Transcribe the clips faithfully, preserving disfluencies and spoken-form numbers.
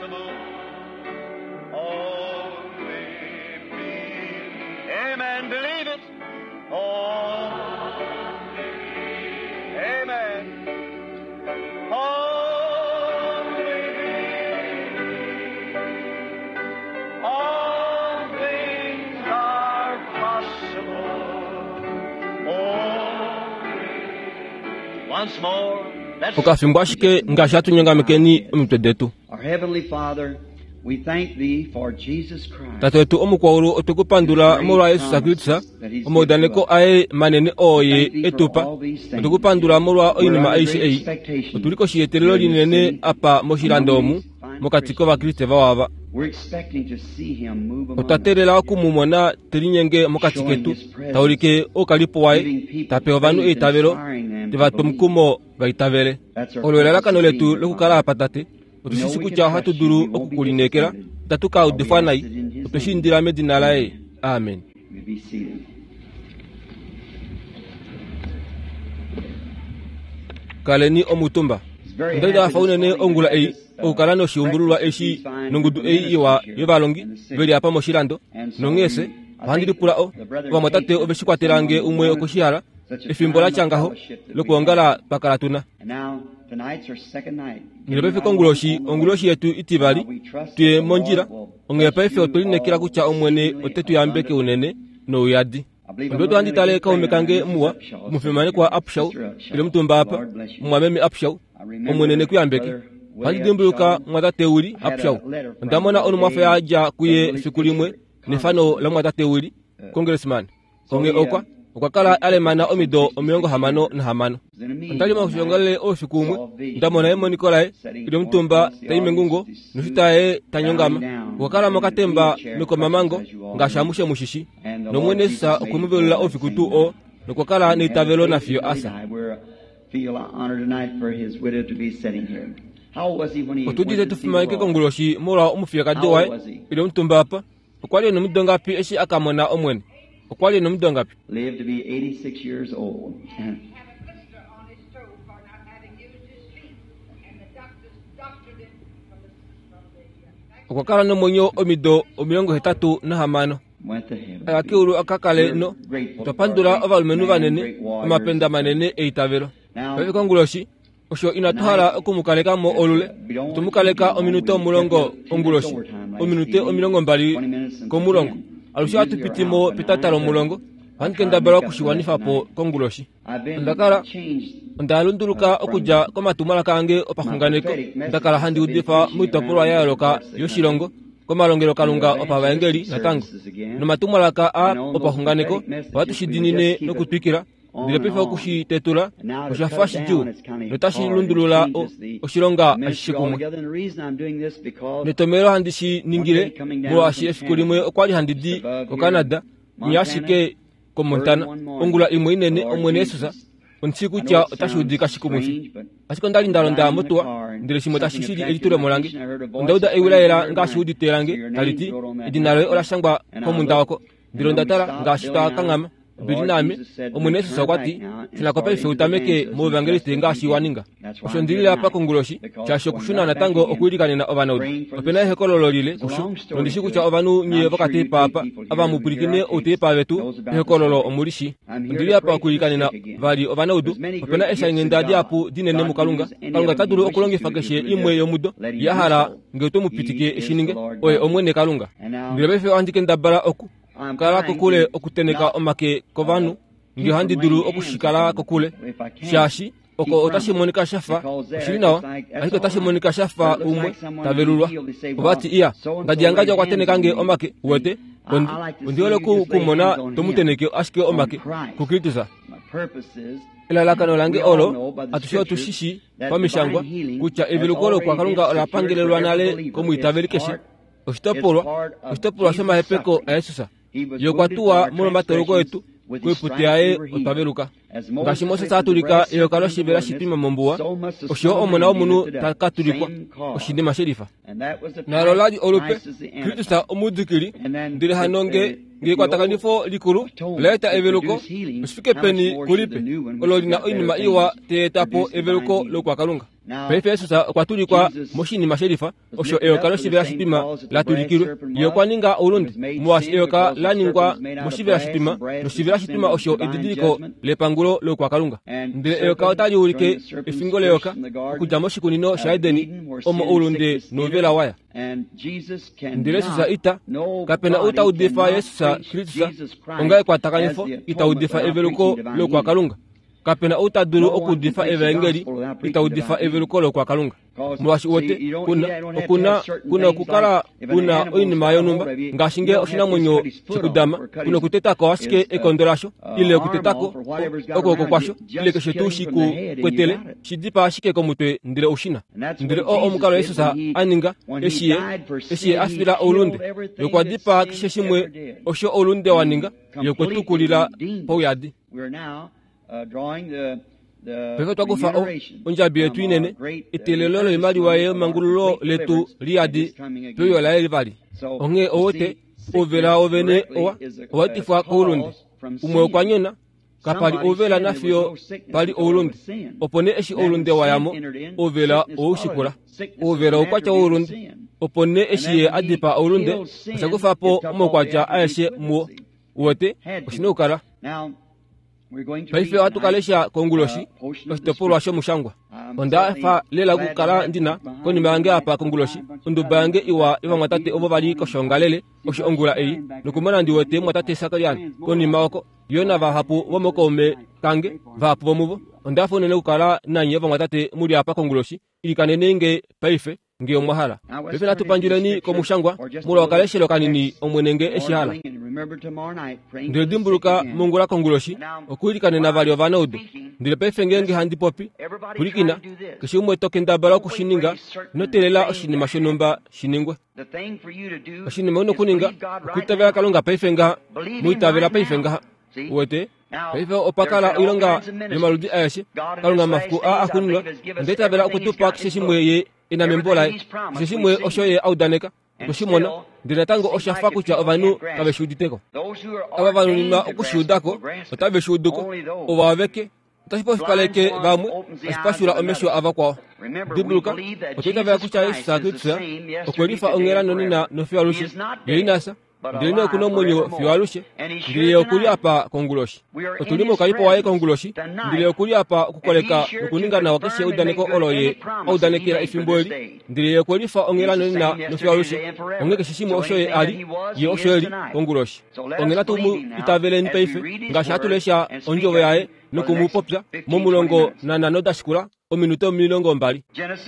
possible. Only believe. Amen. Believe it. Only. Amen. Only believe. All things are possible. Only. Once more. Let's Okafimbo ashike ngaashi hatu nyongamekeni omitwe detu. Our Heavenly Father, we thank Thee for Jesus Christ. Tate wetu omukwaulu otwe ku pandula molwa Yesus Kristus, omaudaneko aye manene oo ye etupa. Otwe ku pandula molwa oinima aishe ei. Otuli koshiyetelelo linene apa moshilando omu, mokati kovakriste vawava. We're expecting to see Him move among Otwa us, teelela oku mu mona te linyenge mokati ketu, ta ulike oukalipo waye, ta pe ovanhu eitavelo, te va twa omukumo va itavele. Olo elalakano letu lokukala apa tate. Otu shi shii kutya ohatu dulu oku ku lineekela, itatu ka udifwa nai. Otwe shi indila medina laye. Amen. You may be seated. Kaleni omutumba. It's very Onda li nda happy hafa this unene morning to ongula have ei this, uh, okukala noshiumbululwa eshi nongudu ei iwa yovalongi veli apa moshilando nonghee ohandi lipula o ovamwatate ove shi kwatela nge umwe okoshihala efimbo la tya ngaho lokuongala twa kala tuna. And now, tonight's our second night. Ndele paife konguloshi onguloshi yetu itivali tuye mondjila onghee paife otwe lineekela kutya Omwene ote tu yambeke unene nouyadi. Ondiwete ohandi tale kaume kange muwa omufimanekwa Upshaw ile omutumba apa mumwameme Upshaw Omwene ne ku yambeke. Ohandi dimbuluka mwatate Willie Upshaw. Onda mona onumwafo ya dja kuye efiku limwe nefano lamwatate Willie congressman. Onghee okwa okwa kala a lemana omido omilongo hamano nahamano. Onda li moshiongalele oufiku umwe nda mona emoniko laye ile omutumba tai mengungo noshita yaye ta nyongama. Okwa kala mokatemba mekomamango ngaashi amushe mushishi. Nomwene Jesus okwe mu velula oufiku tuu oo nokwa kala neitavelo nafiyo asa. Feel honored tonight for his widow to be sitting here. How was he when he Otu went udite to tu see the fimaneke Lord? konguloshi molwa omufiyekadi waye ile omutumba apa. Okwa li e nomido ngapi eshi a ka mona Omwene? Okwa li e nomido ngapi? Lived to be eighty-six years old. Have a blister on his toe for not having used his feet, and the doctors doctored it from the, from the uh, Okwa kala nomwenyo omido omilongo hetatu nahamano. Went to heaven. Aya keulu aka kale no otwa pandula ovalumenhu vanene omapenda manene eitavelo. Paife konguloshi osho inatu hala oku mu kaleka mo olule. Otwe mu kaleka ominute omulongo onguloshi, ominute omilongo mbali komulongo. Alushe ohatu piti mo petata lomulongo. Ohandi kendabala okushiwanifa po konguloshi. I've been Onda kala changed onda lunduluka okudja komatumwalaka ange opaxunganeko. Nda kala handi udifa moitopolwa ya yooloka yoshilongo komalongelokalunga opavaengeli natango. Nomatumwalaka a opaxunganeko ohatu shi diinine nokutwikila. Ndele paife okushitetula osha fa shidjuu notashi lundulula o- oshilonga ashishe kumwe. Netomhelo handi shi ningile molwaashi efiku limwe okwa li handi di koCanada nya ashike koMontana ongula imwe inene Omwene Jesus ondi shii kutya otashi udika shikumwifi. Ashike onda li nda londa motuwa ndele shimwe tashi shili elitulemo lange. Onda uda ewi la yela ngaashi udite lange tali ti edina loye ola shangwa komunda wako. Ndele onda tala ngaashi twa kanghama Bili naame Omwene Jesus okwa ti shuna ko paife u tameke mouvangeliste ngaashi wa ninga. Osho ndilile apa konguloshi shaashi okushuna natango okwiilikanena ovanaudu. Opena ehokololo lile kusho nondi shii kutya ovanhu nye vokateepa apa ava mu pwilikine outeepa vetu ehokololo omuli shi. Ondili apa okwiilikanena vali ovanaudu. Opena eeshainghenda dihapu dinene muKalunga. Kalunga ota dulu okulongifa keshe imwe yomudo ye a hala nge oto mu pitike eshi ninge. Oye Omwene Kalunga. Ndele paife ohandi kendabala oku kala kokule okuteneka omake kovanhu nge ohandi dulu okushikala kokule shaashi oko otashi monika shafa oshili nawa ashike otashi monika shafa umwe ta velulwa. Ovati iya ngadiyangadja okwa teneka nge omake uwete ondi ondi hole ku kumona tomuteneke ashike omake kuKristus. Elalakano lange olo atushe otu shi shii pamishangwa kutya eveluko lokwakalunga ola pangelelwa nale komwiitaveli keshe. Oshitopolwa oshitopolwa shomahepeko aJesus. Ye okwa tuwa molwomatoloko etu koiputi yaye otwa veluka. Ngaashi Moses a tulika eyoka loshivela shitwima mombuwa, osho Omona womunhu ta ka tulikwa oshinima shelifa. Nalo la li olupe Kristus omudikili, ndele hano nge nge ekwatakanifo likulu ola eta eveluko, oshifike peni kulipe olo lina oinima iwa ta eta po eveluko lokwakalunga. Paife Jesus okwa tulikwa moshinima shelifa osho eyoka loshivela shitwima la tulikilwe. Ye okwa ninga oulunde molwaashi eyoka la ningwa moshivela shitwima, noshivela shitwima osho edidiliko lepangulo loukwakalunga. Ndele eyoka otali ulike efingo leyoka okudja moshikunino shaEdeni omo oulunde nouvela waya. Ndele Jesus ita kapena ou ta udifa Jesus Kristus onga ekwatakanifo ita udifa eveluko loukwakalunga. Kapena ou ta dulu okuudifa evaengeli ita udifa eveluko loukwakalunga. Molwaashi wote kuna okuna kuna okukala una oinima yonhumba ngaashi ngee oshinamwenyo shikudama kuna okutetako ashike ekondo lasho ile okutetako okwooko kwasho ile keshe tuu shi ku kwetele shidipaa ashike komutwe ndele oushina. Ndele oo omukalo Jesus a ninga eshi ye eshi ye a fila oulunde, ye okwa dipaa keshe shimwe osho oulunde wa ninga, ye okwe tu kulila pauyadi. Paife otwa kufa ondjabi yetu inene, eteelelo loimaliwa yemangululo letu liyadi peuyo laye vali. Onghee owote ouvela wovene owa owaetifwa koulunde. Umwe okwa nyona, kapali ouvela nafiyo pali oulunde. Opo nee eshi oulunde wayamo, ouvela owaushikula. Ouvela oukwatya woulunde. Opo nee eshi ye a dipaa oulunde, osha kufa po omaukwatya aeshe muwo. Uwete, oshina okukala. Paife ohatu ka lesha konguloshi oshitopolwa shomushangwa. Onda fa lela okukala ndina konima yange apa konguloshi onduba yange iwa yovamwatate ovo vali koshoongalele osho ongula ei, nokumona ndi wete mwatate Sakarian konima oko yo navahapu vomokaume kange vahapu vomuvo. Onda fa unene okukala nanye ovamwatate muli apa konguloshi. Ilikaneni nge paife nge omwa hala. Paife natu pandjuleni komushangwa molwa okaleshelo kanini Omwene nge eshi hala. Ndele dimbuluka mongula konguloshi okuilikanena vali ovanaudu. Ndele paife ngeenge handi popi, pwilikina, keshe umwe to kendabala okushininga, ino teelela oshinima shonhumba shi ningwe. Oshinima una okuninga okwiitavela Kalunga paife ngaha, mu itavela paife ngaha. Uwete? Paife opa kala oilonga yomaludi aeshe. Kalunga mafiku aa axuuninwa onda itavela okutupa keshe shimwe ye ena membo laye, keshe shimwe osho ye a udaneka. Otwe shi mona, ndele natango osha fa kutya ovanhu kave shi uditeko. Ava va nuninwa okushiudako otave shi uduko, ovo aveke otashi pofipaleke vamwe, tashi pashula omesho avakwao. Dimbuluka, otwa itavela kutya Jesus Kristus okwe lifa onghela nonena nofiyo alushe. Ye ina fya, ndele nee okuna omwenyo fiyo alushe, ndele ye okuli apa konguloshi. Otuli moukalipo waye konguloshi, ndele okuli apa okukoleka nokuninga nawa keshe eudaneko olo ye a udanekela efimbo eli, ndele ye okwe lifa onghela nonena nofiyo alushe. Onghee keshe shimwe osho ye a li, ye osho e li konguloshi. Onghee natu mu itaveleni paife ngaashi hatu lesha ondjovo yaye noku mu popya momulongo nanhano da shikula ominute omilongo mbali.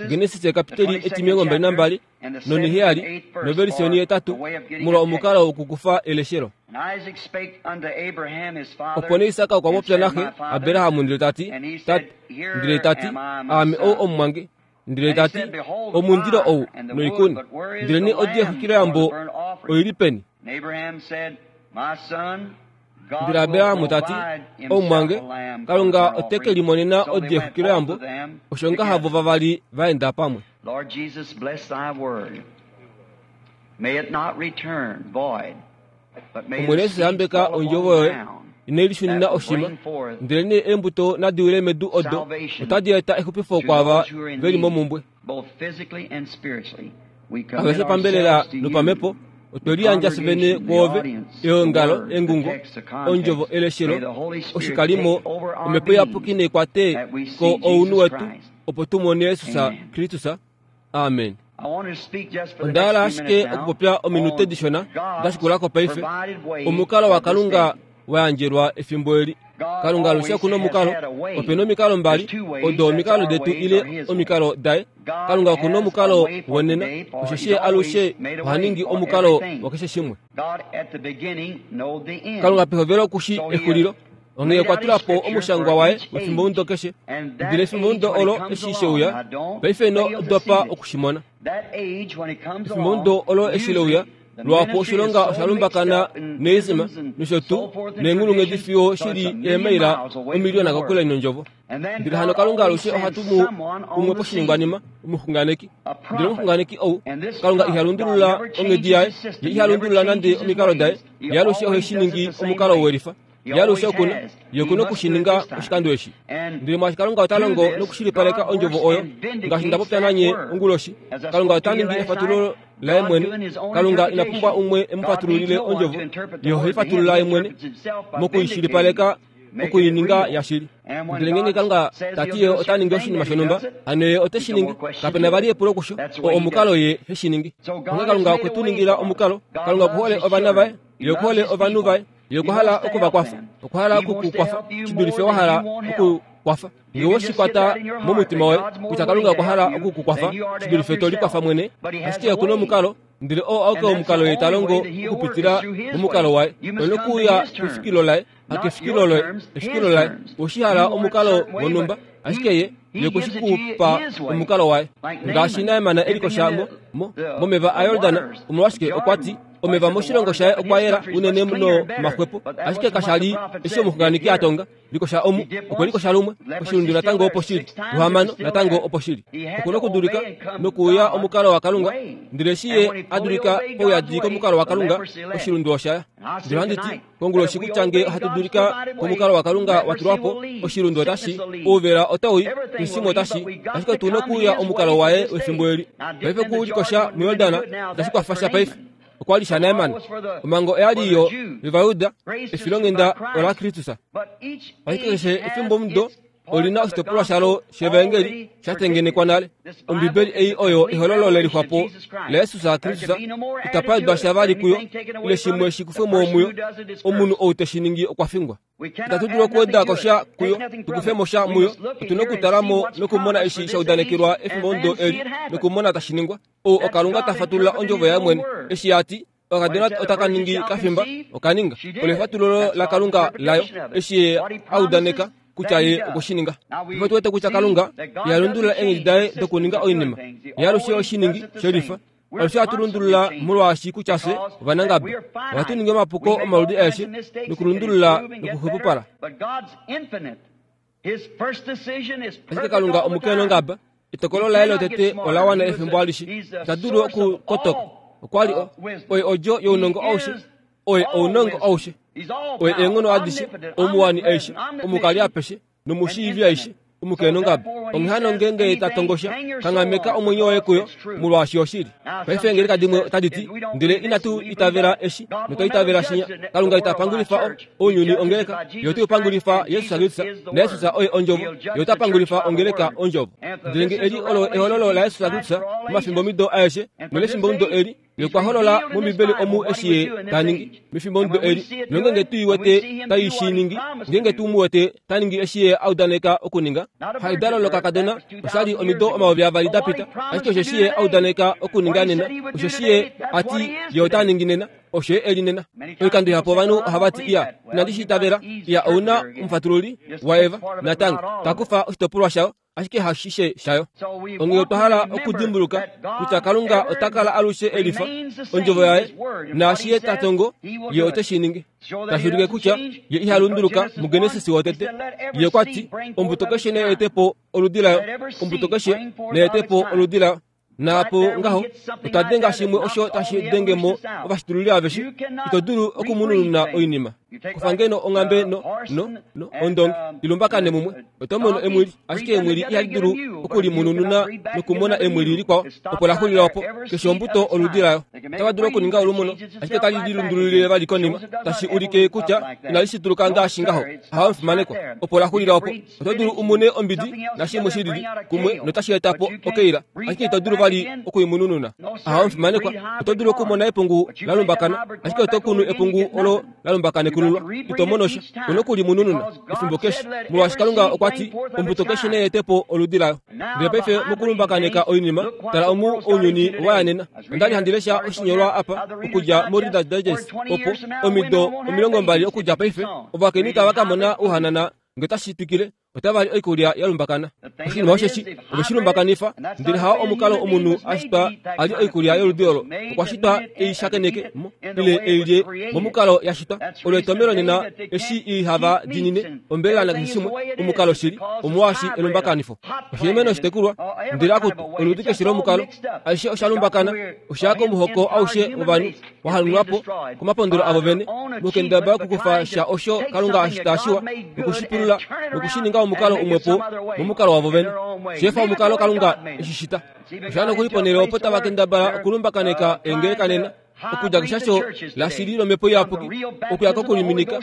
Genesis kapiteli etimilongo mbali nambali noniheyali noversi onihetatu molwa omukalo wokukufa eleshelo. Opo nee Isak okwa popya naxe Abraham ndele ta ti, Tate, ndele ta ti, aame ou omumwange. Ndele ta ti, omundilo ou noikuni, ndele nee odi yexwikiloyambo oili peni? Ndele Abraham ta ti, omumwange, Kalunga ote ke limonena odi yexwikiloyambo. Osho ngaha vo vavali va enda pamwe. Lord Jesus, bless thy word. May it not return void, but may Omwene the Jesus seed yambeka fall upon ondjovo yoye, ground inai lishunina that will oshima, bring forth ndele nee eembuto nadi wile medu odo salvation otadi eta exupifo to kwaava those who are in veli need, momumbwe. both physically and spiritually. We commit Aveshe pambelela ourselves to you, nopamhepo otwe the liyandja fye vene congregation, the kwoove, audience, the eongalo, word, the engungo, text, the ondjovo, context. May eleshelo, the Holy Spirit oshikalimo, take over our omhepo iyapuki being neikwate that we ko see ounhu Jesus wetu Christ. opo tu mone Jesus Amen. Kristus. Amen. I want to speak just for the Onda hala next few ashike minutes now okupopya ominute on dishona God's dashikulako paife provided way omukalo wa for this Kalunga day. wa yandjelwa efimbo eli. God Kalunga alushe always okuna has omukalo, had a way. opena omikalo mbali, There's two ways, odo that's omikalo our detu ways ile or his way. omikalo daye. God Kalunga okuna has a omukalo way for wonena, today, for osheshi he's ye alushe always made a oha way ningi for omukalo everything. wakeshe shimwe. God at the beginning knowed the end. Kalunga pehovelo okushi So he exulilo, onghee laid okwa out his tula po scripture omushangwa for waye each wefimbo age. mudo keshe. And Ndele that efimbo age mudo when it olo comes eshi she along, uya, now don't paife ino fail to dopa see it. okushimona. That age when it comes Efimbo along, mudo olo eshi le uya, usually the lwapo ministry is oshilonga so osha mixed lumbakana up in neezima isms and nosho so tuu forth and neenghulunghedi traditions, fiyo so it's shili a million eemaila miles away from omiliyona the kakule word. nondjovo. And then Ndele hano God Kalunga always alushe oha sends tumu someone on umwe the scene, poshiningwanima, omuxunganeki. a Ndele prophet. omuxunganeki ou, And this Kalunga iha prophet, God lundulula never onghedi changes yaye, his system. ye He iha never lundulula nande changes his omikalo daye, ways. He ye alushe ohe always shi does it ningi the same omukalo way. welifa. Ye alushe oku na, ye oku na okushininga oshikando eshi. Ndele mwaashi Kalunga ota longo nokushilipaleka ondjovo oyo, ngaashi nda popya nanye onguloshi, Kalunga ota ningi efatululo laye mwene. Kalunga ina pumbwa umwe e mu fatululile ondjovo, ye ohe i fatulula ye mwene mokuishilipaleka okuininga yashili. Ndele ngeenge Kalunga ta ti ye ota ningi oshinima shonhumba, hano ye ote shi ningi. Kape na vali epulo kusho, oo omukalo ye he shi ningi. Onghee Kalunga okwe tu ningila omukalo. Kalunga oku hole ovana vaye, ye oku hole ovanhu vaye, ye okwa hala okuvakwafa, okwa hala okukukwafa shi dulife wa hala okukwafa. Ngee we shi kwata momutima woye kutya Kalunga okwa hala okukukwafa shi dulife to likwafa mwene, ashike oku na omukalo, ndele oo auke omukalo ye ta longo okupitila momukalo waye. Ouna okuuya kefikilo laye, hakefikilo loye, efikilo laye. Oweshi hala omukalo wonhumba, ashike ye ye okwe shi ku pa omukalo waye. Ngaashi Naeman e likosha mo, mo, momeva aJordan, omolwashike okwa ti omeva moshilongo shaye okwa yela unene nomaxwepo, ashike kasha li eshi omuxunganeki a tonga. Likosha omu, okwe likosha lumwe, oshilundu natango opo shili, luhamano natango opo shili. Oku na okudulika nokuuya omukalo waKalunga, ndele eshi ye a dulika pauyadi komukalo waKalunga, oshilundu osha ya. Ndele ohandi ti konguloshi kutya ngee ohatu dulika komukalo waKalunga wa tulwa po, oshilundu otashi, ouvela otau i, keshe shimwe otashi, ashike otu na okuuya omukalo waye wefimbo eli. Paife okulikosha muJordan itashi kwafa sha paife. Okwa li shaNaeman. Omhango oya li yo yOvayuda, efilonghenda olaKristus. Ashike keshe efimbomudo oli na oshitopolwa shalo shevaengeli sha tengenekwa nale. Ombibeli ei oyo ehololo lelixwapo laJesus Kristus. Itapa wedwa sha vali kuyo, ile shimwe shi kufwe mo muyo. Omunhu ou te shi ningi okwa fingwa. Itatu dulu okuweda ko sha kuyo, tu kufe mo sha muyo. Otu na okutala mo nokumona eshi sha udanekelwa efimbomudo eli, nokumona tashi ningwa. Ou oKalunga ta fatulula ondjovo yaye mwene. Eshi a ti okakadona otaka ningi kafimba, oka ninga. Olo efatululo laKalunga layo, eshi ye a udaneka kutya ye okwe shi ninga. Paife otu wete kutya Kalunga iha lundulula eenghedi daye dokuninga oinima. Ye alushe oshiningi shelifa. Alushe ohatu lundulula molwaashi kutya fye ovanangaba. Ohatu ningi omapuko omaludi aeshe nokulundulula nokuxwepopala. Ashike Kalunga omukenongaba, etokolo laye lotete ola wana efimbo alishe. Ita dulu okukotoka. Okwa li oye odjo younongo aushe, oye ounongo aushe, oye eenghono adishe, omuwani aishe, omukali apeshe, nomushiivi aishe, omukenongaba. Onghee hano ngeenge ta tongosha, kanghameka omwenyo woye kuyo, molwaashi oshili. Paife eengeleka dimwe otadi ti, ndele inatu itavela eshi, notwa itavela shinya. Kalunga ita pangulifa ounyuni ongeleka, ye ote u pangulifa Jesus Kristus, naJesus oye ondjovo, ye ota pangulifa ongeleka ondjovo. Ndele nge eli olo ehololo laJesus Kristus momafimbomido aeshe nolefimbomudo eli, ye okwa holola mOmbibeli omu eshi ye ta ningi mefimbomudo eli, nongeenge tu i wete tai shi ningi, ngeenge tu mu wete ta ningi eshi ye a udaneka okuninga. Haidalo lokakadona osha li omido omayovi avali da pita, ashike osheshi ye a udaneka okuninga nena, osheshi ye a ti ye ota ningi nena, osho ye e li nena. Oikando ihapu ovanhu ohava ti, iya, inandi shi itavela. Iya, ou na omufatululi waEva natango ta kufa oshitopolwa shayo, ashike hashishe shayo. Onghee otwa hala okudimbuluka kutya Kalunga ota kala alushe e lifa ondjovo yaye, naashi ye ta tongo, ye ote shi ningi. Tashi ulike kutya ye iha lunduluka muGenesis wotete. Ye okwa ti, ombuto keshe nai ete po oludi layo, ombuto keshe nai ete po oludi layo. Naapo ngaho, otwa denga shimwe osho tashi denge mo ovashitululi aveshe. Ito dulu okumunununa oinima. Kufa ngeno onghambe no, no, no, ondongi, ilumbakane mumwe. Oto mono emwili, ashike emwili ihali dulu okulimunununa nokumona emwili likwao, opo la xulila opo. Keshe ombuto oludi layo. Otava dulu okuninga olumono, ashike otali lilundululile vali konima, tashi ulike kutya inali shituluka ngaashi ngaho. Hawa omufimanekwa, opo la xulila opo. Oto dulu umune ombidi nashimwe shi lili kumwe notashi eta po okeila, ashike ito dulu vali okuimunununa. Hawa omufimanekwa, oto dulu okumona epungu la lumbakana, ashike oto kunu epungu olo la lumbakanekululo, ito mono sha. Una okulimunununa efimbo keshe, molwaashi Kalunga okwa ti ombuto keshe nai ete po oludi layo. Ndele paife mokulumbakaneka oinima, tala omu ounyuni wa yanena. Onda li handi lesha oshinyolwa apa okudja moReader's Digest, opo omido omilongo mbali okudja paife, ovakainhu tava ka mona ouhanana nge tashi twikile, Otava li oikulya ya lumbakana. Oshinima osheshi ove shi lumbakanifa, ndele hao omukalo omunhu a shitwa a lye oikulya yoludi olo. Okwa shitwa ei shakeneke mo ile ei lye momukalo ya shitwa. Olo etomelo nena eshi ihava dinine ombelela nakeshe shimwe omukalo shili omwaashi elumbakanifo. Oshimeno shitekulwa ndele akutu oludi keshe lomukalo aishe osha lumbakana osha komuhoko aushe wovanhu wahanunwapo komapondolo avo vene mokendaba okukufa sha osho Kalunga ashita shiwa nokushipulula nokushininga omukalo umwepo momukalo wavo vene shefa omukalo Kalunga eshishita. Osha nokuliponele opo tava kendabala okulumbakaneka engeleka nena okudja keshasho lashili lomhepo iyapuki okuya kokuliminika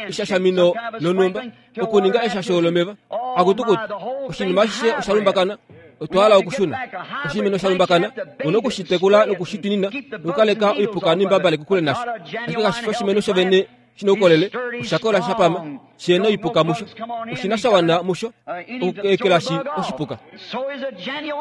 eshashamino lonumba okuninga eshasho lomeva akutukutu oshinima ashishe osha lumbakana. Otwa hala okushuna oshimeno sha lumbakana onokushitekula nokushitinina nokukaleka oipuka nimbabale kokule nasho. Ashike kashi fi oshimeno shovene shina oukolele oshakola shapama shena oipuka musho oshina sha wana musho okuekelashi oshipuka.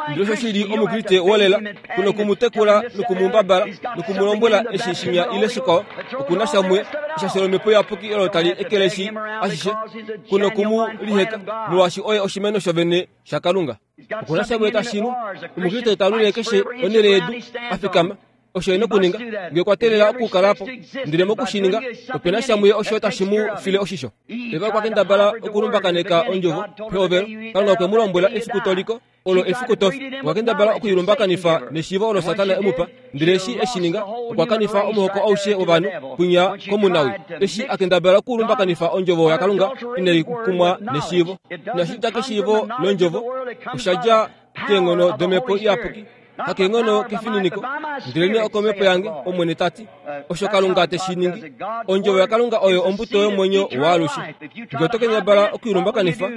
Ndele osho shili omukriste wolela kunokumutekula nokumumbabala nokumulombwela eshi shinya ile shikwao okuna shamwe eshasho lomhepo iyapuki olo tali ekeleshi ashishe kunokumuliheka molwaashi oye oshimeno shovene shaKalunga. Okuna shamwe tashilu omukriste talule keshe onhele yedu afikama osho ena okuninga ngee kwatelela okukalapo ndele mokushininga opena shamwe osho tashi mu file oshisho. Eva okwa kendabala okulumbakaneka ondjovo pehovelo. Kalunga okwe mu lombwela efiku toliko olo efiku tofi. Okwa kendabala okuilumbakanifa neshiivo olo Satana emupa ndele eshi eshininga okwa kanifa omuhoko aushe wovanhu kwinya komunawi. Eshi akendabala okulumbakanifa ondjovo yaKalunga inai kumwa neshiivo. Inashi dja keshiivo londjovo osha dja keenghono domhepo iyapuki hakeenghono kefininiko ndelene okomhepo yange Omwene ta ti osho Kalunga te shi ningi. Ondjovo yaKalunga oyo ombuto yomwenyo waalushe. Ngee oto kendabala okuilumbakanifa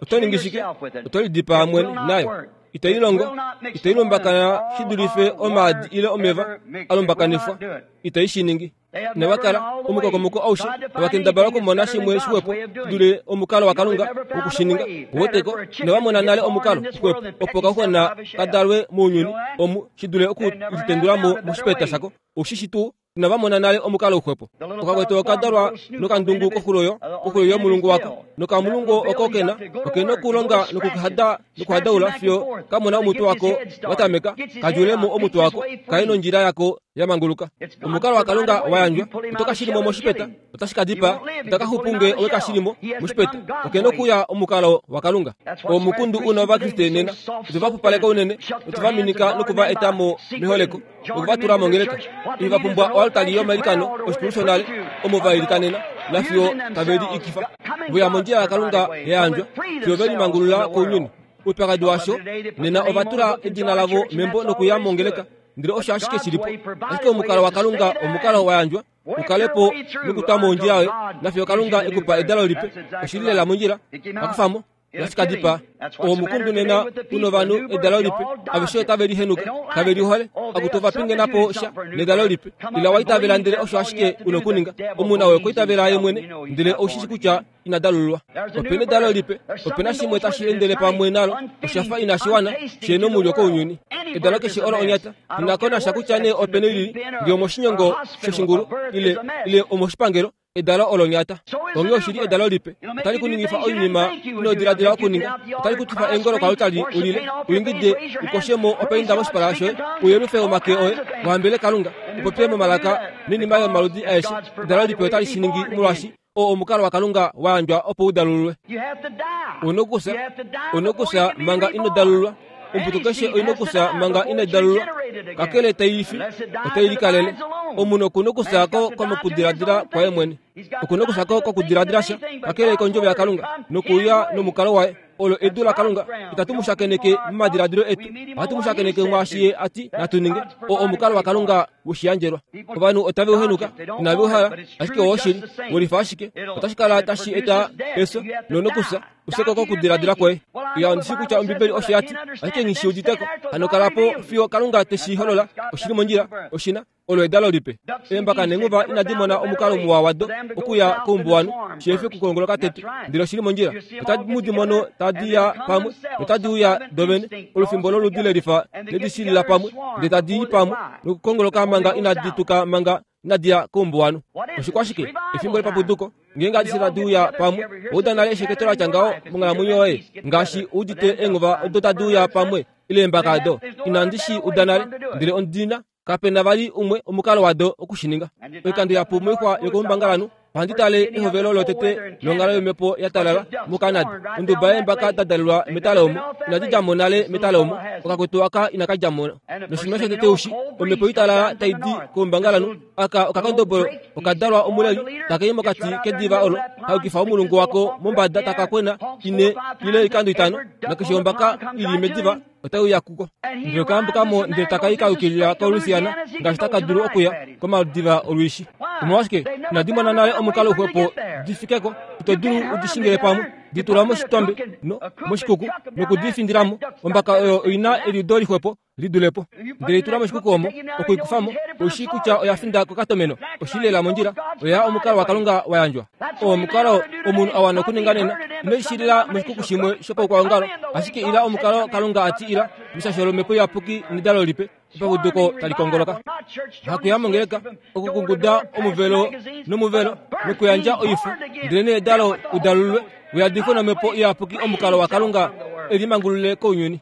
oto ningi shike? Oto lidipaa mwene nayo. Itai longo, itai lumbakana shi dulife omaadi ile omeva a lumbakanifwa. Itai shi ningi. Inava kala omukokomoko aushe tava kendabala okumona shimwe shixwepo dule omukalo waKalunga wokushininga. Weteko inava mona nale omukalo uxwepo opo kauxwena ka dalwe mounyuni omu shi dule okulitendula mo moshipeta shako. Oushi tuu inava mona nale omukalo uxwepo. Okakwetu okadalwa nokandungu koxulo koxulo yomulungu wako nokamulungu oko kena okena okulonga nokuhada nokuhadaula fiyo kamona omutwe wako watameka kadjulemo omutwe wako kaye nondjila yako yamanguluka. Omukalo waKalunga wayandjwa oto kashilimo moshipeta otashi ka dipa otakaxupu ngee owe kashilimo moshipeta. Okena okuya omukalo waKalunga. Omukundu una ovakriste nena otova pupaleka unene otova minika nokuva eta mo meholeko nokuva tula mongeleka. Iva pumbwa oaltari yomailikano oshikulu shonale omo va ilikanena nafiyo tave li ikifa voya mondjila yaKalunga yayandjwa fiyo ve limangulula kounyuni. Oupyakadi washo nena ova tula edina lavo membo nokuya mongeleka ndele osho ashike shilipo. Ashike omukalo waKalunga omukalo wayandjwa ukalepo nokutwa mondjila yoye nafiyo Kalunga ekupa edalo lipe. Oshili lela mondjila akufamo nashikadipa omukundu nena uno vanhu edalo lipe aveshe otave lihenuka kave lihole akutova pingenapo sha nedalo lipe ila waitavela ndele osho ashike unokuninga. Omuna oyo koitavela ye mwene ndele oushishi kutya inadalululwa. Opena edalo lipe opena shimwe tashi endele pamwe nalo oshafa inashi wana shena omulyo kounyuni. Edalo keshe olo onyata inakonasha kutya nee opena ilili ngee omoshinyongo shoshingulu ile ile omoshipangelo edalo olo nyata. Onghee oshili edalo lipe otali kuningifa oinima inodiladila okuninga. Otali kutifa eengolo koaltari ulile uingide ukoshemo opainda moshipala shoye uyelufe omake oye uhambele Kalunga upopye momalaka noinima yomaludi aeshe. Edalo lipe otali shi ningi molwaashi oo omukalo waKalunga wayandjwa opo udalululwe. Unokusa unokusa manga inodalululwa. Ombuto keshe oinokusa manga inadalululwa kakele taifi otai likalele. Omunhu okunokusako komokudiladila kwaye mwene okunokusako kokudiladila sha kakele kondjovo yaKalunga nokuuya nomukalo waye olo edu laKalunga. Itatu mu shakeneke momadiladilo etu, ohatu mu shakeneke mwaashi ye ati natu ninge. Oo omukalo waKalunga woshiyandjelwa. Ovanhu otave uhenuka inave uhala ashike oo oshili wolifa ashike otashi kala tashi eta efyo nonokusa useko kokudiladila kwoye. Iya ondishi kutya Ombibeli osho yati ashike nghi shi uditeko. Hano kalapo fiyo Kalunga teshi holola. Oshili mondjila oshina olo edalo lipe. Eembaka neenguva inadi mona omukalo muwa wado okuya koumbuwanhu sheefi okukolongoloka tete ndele oshili mondjila. Otadi mu di mono tadi ya pamwe notadi uya dovene olufimbo loludi lelifa ledishilila pamwe ndele tadi i pamwe nokukongoloka manga inadi tuka manga inadi ya koumbuwanhu. Oshikwashike efimbo lepapuduko Ngeenge adishe tadi uya pamwe, ouda nale esheketo latya ngaho monghalamwenyo yoye, ngaashi udite eengova odo tadi uya pamwe ile eembaka ado. Inandi shi uda nale, ndele ondina kapena vali umwe omukalo wado okushininga. Oikando yapu moixwa yokoumbangalanhu ohandi tale ehovelo lotete longhalo yomhepo ya talala muKanada. Onduba yeembaka da dalelwa metale omo inadi dja mo nale metale omo, okakutu aka inaka dja mo. Noshinima shotete ushi, omhepo italala tai di koumbangalanhu aka okakondobolo okadalwa omuleli taka i mokati kediva olo, kaukifa omulungu wako mombada taka kwena ine ile oikando itano, nakeshe ombaka ili mediva otai uya kuko. Ndele okayambukamo ndele taka i kaukilila koLouisiana ngaashi taka dulu okuya komadiva olwiishi. Omolwashike inadi mona nale omukalo uxwepo difikeko? Ito dulu udishingile pamwe, ditula moshitombe no moshikuku nokudifindilamo. Ombaka oyo oina eliudo lixwepo lidulepo, ndele itula moshikuku omo okuikufamo oishi kutya oya finda kokatomeno. Oshilela mondjila oya omukalo waKalunga wa yandjwa. Oo omukalo omunhu a wana okuninga nena. Ino ishilila moshikuku shimwe shopaukwaongalo, ashike ila omukalo Kalunga ati ila meshasho lomhepo iyapuki nedalo lipe epapuduko tali kongoloka. Hakuya mongeleka okukunguda omuvelo nomuvelo nokuyandja oifu, ndele nee edalo udalulwe uyadifwe nomhepo iyapuki omukalo waKalunga elimangulule kounyuni.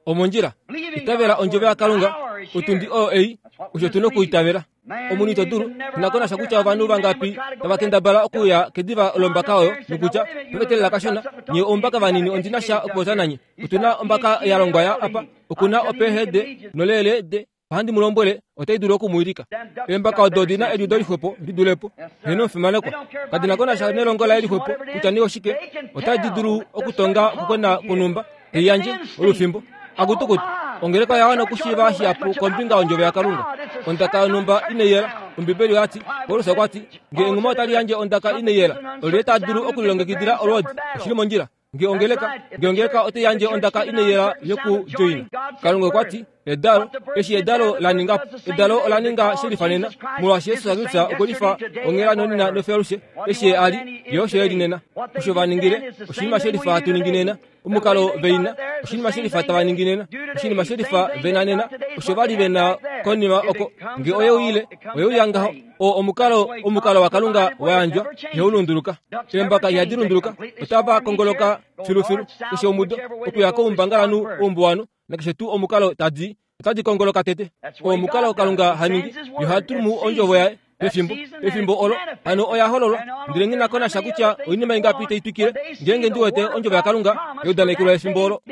Omondjila itavela ondjovo yaKalunga, otundi oyo ei osho tuna okuitavela. Omunhu ito dulu inako nasha kutya ovanhu vangapi tava kendabala okuya kediva lombaka oyo nokutya tovetelela kashona nye ombaka vanini ondina sha okupopya nanye. Otuna ombaka ya longwa ya apa, okuna ophd nolele d ohandi mu lombwele otai dulu okumuwilika. Eembaka odo odina eliudo lixwepo lidulepo, heno omufimanekwa. Kadina ko nasha nelongo laye lixwepo kutya nee oshike, otadi dulu okutonga okukwena kwonhumba teiyandje olufimbo. Akutukutu, ongeleka oya wana okushiiva shihapu kombinga yondjovo yaKalunga. Ondaka yonhumba inai yela. Ombibeli oyati, Paulus okwa ti, nge enghuma otali yandje ondaka inai yela, olyelye ta dulu okulilongekidila olwoodi? Oshili mondjila. Nge ongeleka, nge ongeleka otai yandje ondaka inai yela yokudjoina. Kalunga okwa ti, edalo, eshi edalo la ninga, edalo ola ninga shelifa nena, molwaashi Jesus Kristus okwe lifa onghela nonena nofealushe, eshi ye a li, ye osho e li nena. Osho va ningile, oshinima shelifa hatu ningi nena. Omukalo veina, oshinima shelifa tava ningi nena. Oshinima shelifa vena nena, osho va li vena konima oko. Nge oye uyile, oye uya ngaho. Oo omukalo, omukalo waKalunga wa yandjwa, ihau lunduluka. Eembaka ihadi lunduluka, otava kongoloka filufilu keshe omudo okuya koumbangalanhu oumbuwanhu, nakeshe tuu omukalo tadi otadi kongoloka tete. Oo omukalo Kalunga ha ningi, ye oha tumu ondjovo yaye pefimbo, pefimbo olo hano oya hololwa. Ndele nghi na ko nasha kutya oinima ingapi tai twikile, ngeenge ndi wete ondjovo yaKalunga yaudanekelwa efimbo olo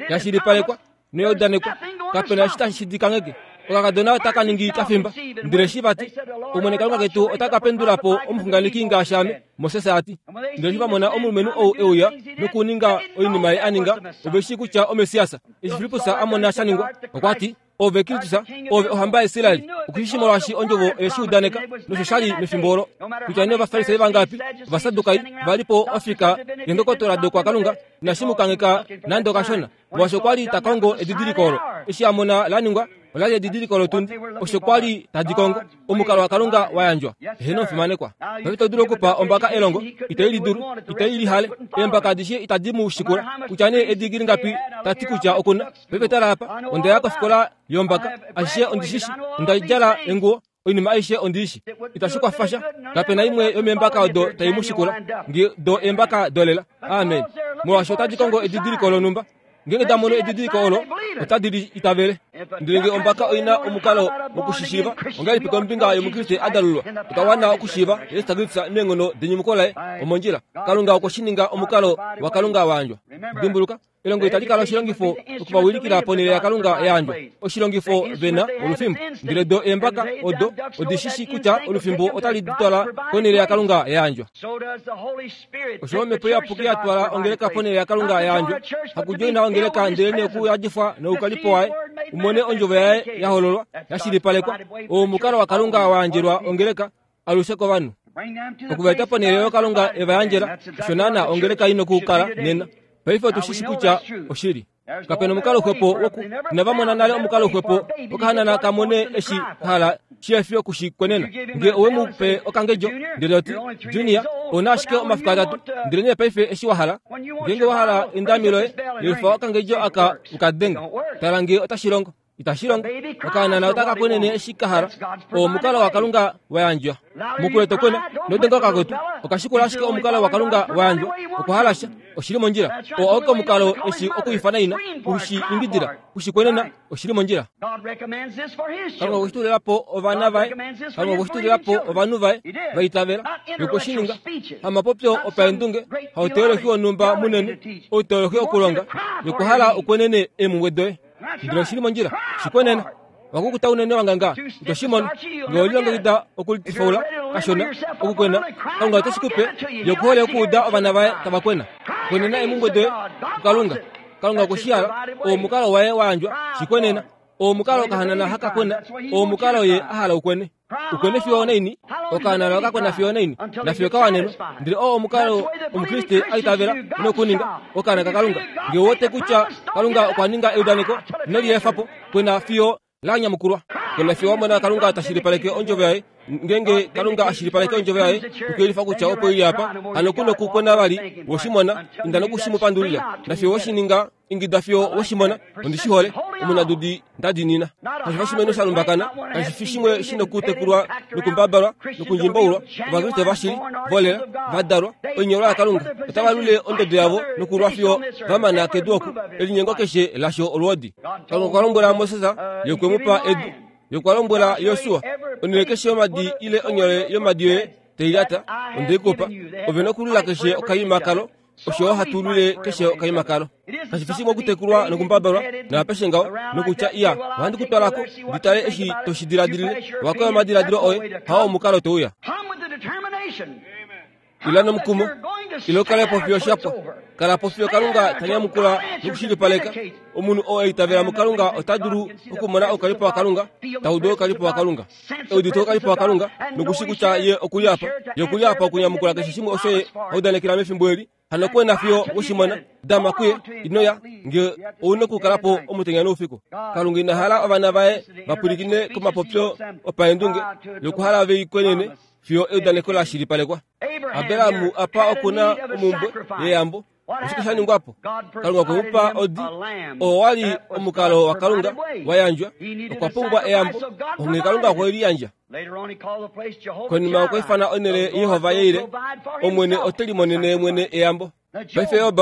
yashilipalekwa noyaudanekwa, kapena eshi tashi di kangheke. Okakadona otaka ningi kafimba. Ndele eshi vati, Omwene Kalunga ketu ota ka pendula po omuxunganeki ngaashi ame, Moses a ti. Ndele eshi va mona omulumenhu ou e uya nokuninga oinima ye a ninga, ove shii kutya oMessias. Eshi Filippus a mona sha ningwa, okwa ti, Ove Kristus, ove ohamba yaIsrael. Okushishi molwaashi ondjovo oye shi udaneka, nosho sha li mefimbo olo. Kutya nee Ovafarisai vangapi, Ovasadukai va li po ofika yendokotola dokwaKalunga, inashi mu kangheka nande okashona, molwaashi okwa li ta kongo edidiliko olo. Eshi a mona la ningwa, ola li edidiliko lotundi, osho kwa li tadi kongo. Omukalo waKalunga wa yandjwa. Eheno omufimanekwa. Paife ito dulu okupa ombaka elongo, itai li dulu, itai li hale. Eembaka adishe itadi mu shikula, kutya nee edigili ngapi ta ti kutya okuna. Paife tala apa, onda ya kofikola yombaka, ashishe ondishishi, onda djala enguwo, oinima aishe ondiishi. Itashi kwafa sha, kapena imwe yomeembaka odo tai mu shikula, nge do eembaka dolela. Amen. Molwaashi otadi kongo edidiliko lonhumba. Ngeenge da mono edidiliko olo, otadi li itavele. Ndele nge ombaka oina omukalo wokushishiiva, ongahelipi kombinga yOmukriste a dalulwa? Otwa wana okushiiva Jesus Kristus meenghono denyumuko laye omondjila. Kalunga okwe shi ninga omukalo waKalunga wa yandjwa. Dimbuluka, elongo itali kala oshilongifo okuvawilikila ponhele yaKalunga ya yandjwa. Oshilongifo vena olufimbo. Ndele do eembaka odo odi shi shi kutya olufimbo otali di twala konhele yaKalunga ya yandjwa. Osho omhepo iyapuki ya twala ongeleka ponhele yaKalunga ya yandjwa, hakudjoina ongeleka ndele nee okuyadifwa noukalipo waye, umone ondjovo yaye ya hololwa, ya shilipalekwa. Oo omukalo waKalunga wa yandjelwa ongeleka alushe kovanhu. Okuvaeta ponhele oyo Kalunga e va yandjela, osho naana ongeleka ina okukala nena. Paife otu shi shi kutya oshili. Kapena omukalo xwepo woku inava mona nale omukalo xwepo okahanana ka mone eshi hala shihefi okushikwenena. Nge owe mu pe okangedjo ndele oti Junior ouna ashike omafiku atatu, ndele nee paife eshi wa hala, ngeenge wa hala endami loye, lefa okangedjo aka ukadenga. Tala nge otashi longo. Itashi longo. Okaanana otaka kwenene eshi ka hala. Oo omukalo waKalunga wa yandjwa. Mukule to kwena, nodenga okakwetu. Okashikula ashike omukalo waKalunga wa yandjwa. Okwa hala sha. Oshili mondjila. Oo auke omukalo eshi okuifana ina, kushi ingidila, kushi kwenena, oshili mondjila. Kalunga okwe shi tulila po ovana vaye. Kalunga okwe shi tulila po ovanhu vaye va itavela. Yokwe shi ninga. Hamapopyo opaendunge, hauteolohi wonhumba munene, outeolohi okulonga. Yokwa hala okwenene eemhumbwe doye. Ndele oshili mondjila. Shikwenena. Wakukuta unene wanganga, ito shi mono. Ngee olilongekida okulifaula kashona, okukwena, Kalunga ote shi kupe. Ye okuhole okuuda ovana vaye tava kwena. Kwenena eemhumbwe doye kuKalunga. Kalunga okwe shi hala. Oo omukalo waye wa yandjwa. Shikwenena. Oo omukalo okahanana haka kwena. Oo omukalo ye a hala ukwene. Ukwene fiyo onaini, okahanana okakwena fiyo onaini, nafiyo kawanenwa. Ndele oo omukalo Omukriste a itavela nokuninga okaana kaKalunga. Ngee owote kutya Kalunga okwa ninga eudaneko, ino liefa po. Kwena fiyo la nyamukulwa. Kwena fiyo wa mona Kalunga ta shilipaleke ondjovo yaye. Ngeenge Kalunga a shilipaleke ondjovo yaye, nokuyelifa kutya opo ili apa, hano ku nokukwena vali, we shi mona, inda noku shi mu pandulila. Nafiyo we shi ninga, ingida fiyo we shi mona, ondi shi hole, omunadudi nda diinina. Kashi fi oshimeno sha lumbakana, kashi fi shimwe shi nokutekulwa nokumbabalwa nokundjimbaulwa. Ovakriste vashili, volela, va dalwa, oinyolwa yaKalunga, otava lule ondodo yavo nokulwa fiyo va mana kedu oku, elinyengo keshe lasho olwoodi. Kalunga okwa lombwela Moses, ye okwe mu pa edu. Ye okwa lombwela Josua, onhele keshe yomadi ile onyole yomadi yoye tai lyata, onde i kupa. Ove nokulula keshe okaima kalo, osho hatu lule keshe okaima kalo. Kashi fi shimwe okutekulwa nokumbabalwa naapeshe ngaho, nokutya iya, ohandi ku twala ko, ndi tale eshi to shi diladilile. Owakoya omadiladilo oye, hao omukalo to uya. Ila nomukumo, ila ukale po fiyo shapwa. Kala po fiyo Kalunga ta nyamukula nokushilipaleka. Omunhu oo a itavela muKalunga ota dulu okumona oukalipo waKalunga, ta udu oukalipo waKalunga, eudite oukalipo waKalunga, nokushi kutya ye okuli apa. Ye okuli apa okunyamukula keshe shimwe osho ye a udanekela mefimbo eli. Hano kwena fiyo we shi mona, dama kuye, ino ya, ngee ou nokukala po omutenya noufiku. Kalunga ina hala ovana vaye va pwilikine komapopyo opaendunge, yokuhala ve i kwenene fiyo eudaneko la shilipalekwa. Abraham apa oku na omhumbwe yeyambo. Oshike sha ningwa po? Kalunga okwe mu pa odi. Oo wa li omukalo waKalunga wa yandjwa. Okwa pumbwa eyambo, onghee Kalunga okwe li yandja. Konima okwa ifana onhele Jehova Yeire, Omwene ote limonene mwene eyambo. Paife Job,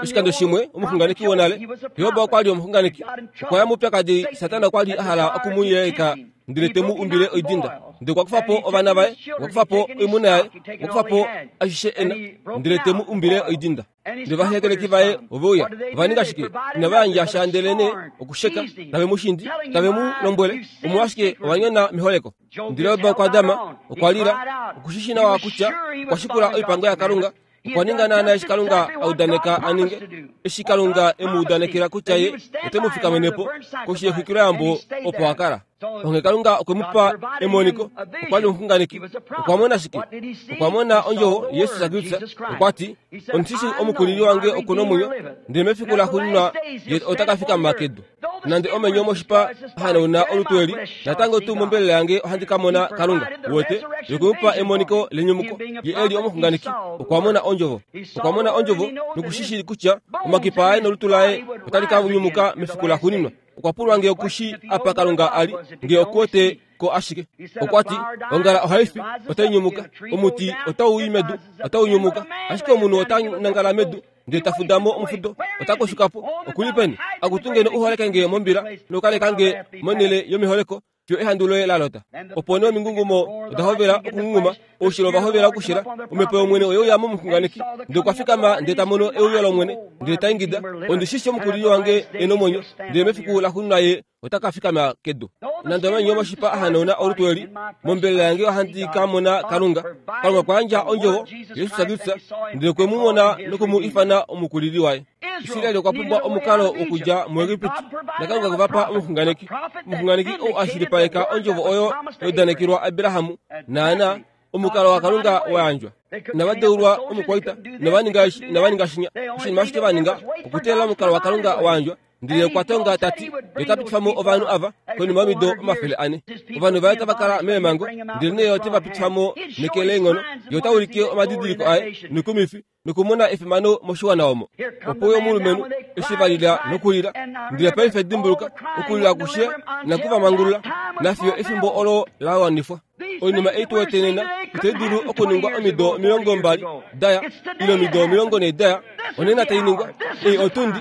oshikando shimwe omuxunganeki wonale, Job okwa li omuxunganeki. Okwa ya moupyakadi, Satana okwa li a hala oku mu yeleka ndele te mu umbile oidinda. Ndele okwa kufa po ovana vaye, okwa kufa po oimuna yaye, okwa kufa po ashishe e na, ndele te mu umbile oidinda. Ndele ovahekeleki vaye ove uya, ova ninga shike? Inava yandja sha ndelenee okusheka, tave mu shindi, tave mu lombwele, omolwashike ova nyona meholeko. Ndele Job okwa dama, okwa lila, okushi shi nawa kutya okwa shikula oipango yaKalunga, okwa ninga naana eshi Kalunga a udaneka a ninge, eshi Kalunga e mu udanekela kutya ye ote mu fikamene po koshi yexwikiloyambo opo a kala. Onghee Kalunga okwe mu pa emoniko, okwa li omuxunganeki. Okwa mona shike? Okwa mona ondjovo Jesus Kristus. Okwa ti, Omushishi omukulili wange oku nomwenyo, ndele mefiku laxuuninwa ye ota ka fikama kedu. Nande omenyo omoshipa hanauna olutu eli, natango tuu mombelela yange ohandi ka mona Kalunga. Wote, ye okwe mu pa emoniko lenyumuko. Ye e li omuxunganeki, okwa mona ondjovo. Okwa mona ondjovo nokushi shii kutya omakipa aye nolutu laye otali ka nyumuka mefiku laxuuninwa. Okwa pulwa ngee okushi apa Kalunga a li, ngee okuwete ko ashike. Okwa ti, ongala ohai fi, otai nyumuka. Omuti otau i medu, otau nyumuka. Ashike omunhu ota nangala medu, ndele ta fuda mo omufudo, ota koshuka po. Oku li peni? Akutu ngeno u holeke nge mombila, nokaleka nge monhele yomeholeko, fiyo ehandu loye la lota. Opo nee omingungumo oda hovela okungunguma, oushilo ova hovela okushila, omhepo yOmwene oye uya momuxunganeki, ndele okwa fikama ndele ta mono euyo lOmwene, ndele ta ingida, ondi shi shii omukulili wange e nomwenyo, ndele mefiku laxuuninwa ye ota ka fikama kedu. Nande omanyo omoshipa a hanauna olutu eli, mombelela yange ohandi ka mona Kalunga. Kalunga okwa yandja ondjovo, Jesus Kristus, ndele okwe mu mona noku mu ifana omukulili waye. Israel okwa pumbwa omukalo wokudja muEgipiti, naKalunga okwe va pa omuxunganeki. Omuxunganeki ou a shilipaleka ondjovo oyo ya udanekelwa Abraham, naana omukalo waKalunga wa yandjwa. Inava deulwa omukwaita, inava ninga eshi, inava ninga shinya. Oshinima ashike va ninga, okuteelela omukalo waKalunga wa yandjwa, Ndele okwa tonga ta ti, ye ta pitifa mo ovanhu ava konima yomido omafele ane. Ovanhu vaye tava kala meemhango, ndelenee ye ote va pitifa mo neke leenghono. Ye ota ulike omadidiliko aye noikumifi nokumona efimano moshiwana omo. Opo uye omulumenhu eshi va lila nokulila, ndele paife dimbuluka, okulila akushe inaku va mangulula, nafiyo efimbo olo la wanifwa. Oinima ei tu wete nena itai dulu okuningwa omido omilongo mbali daya ile omido omilongo nhee daya, onena tai ningwa. Ei otundi,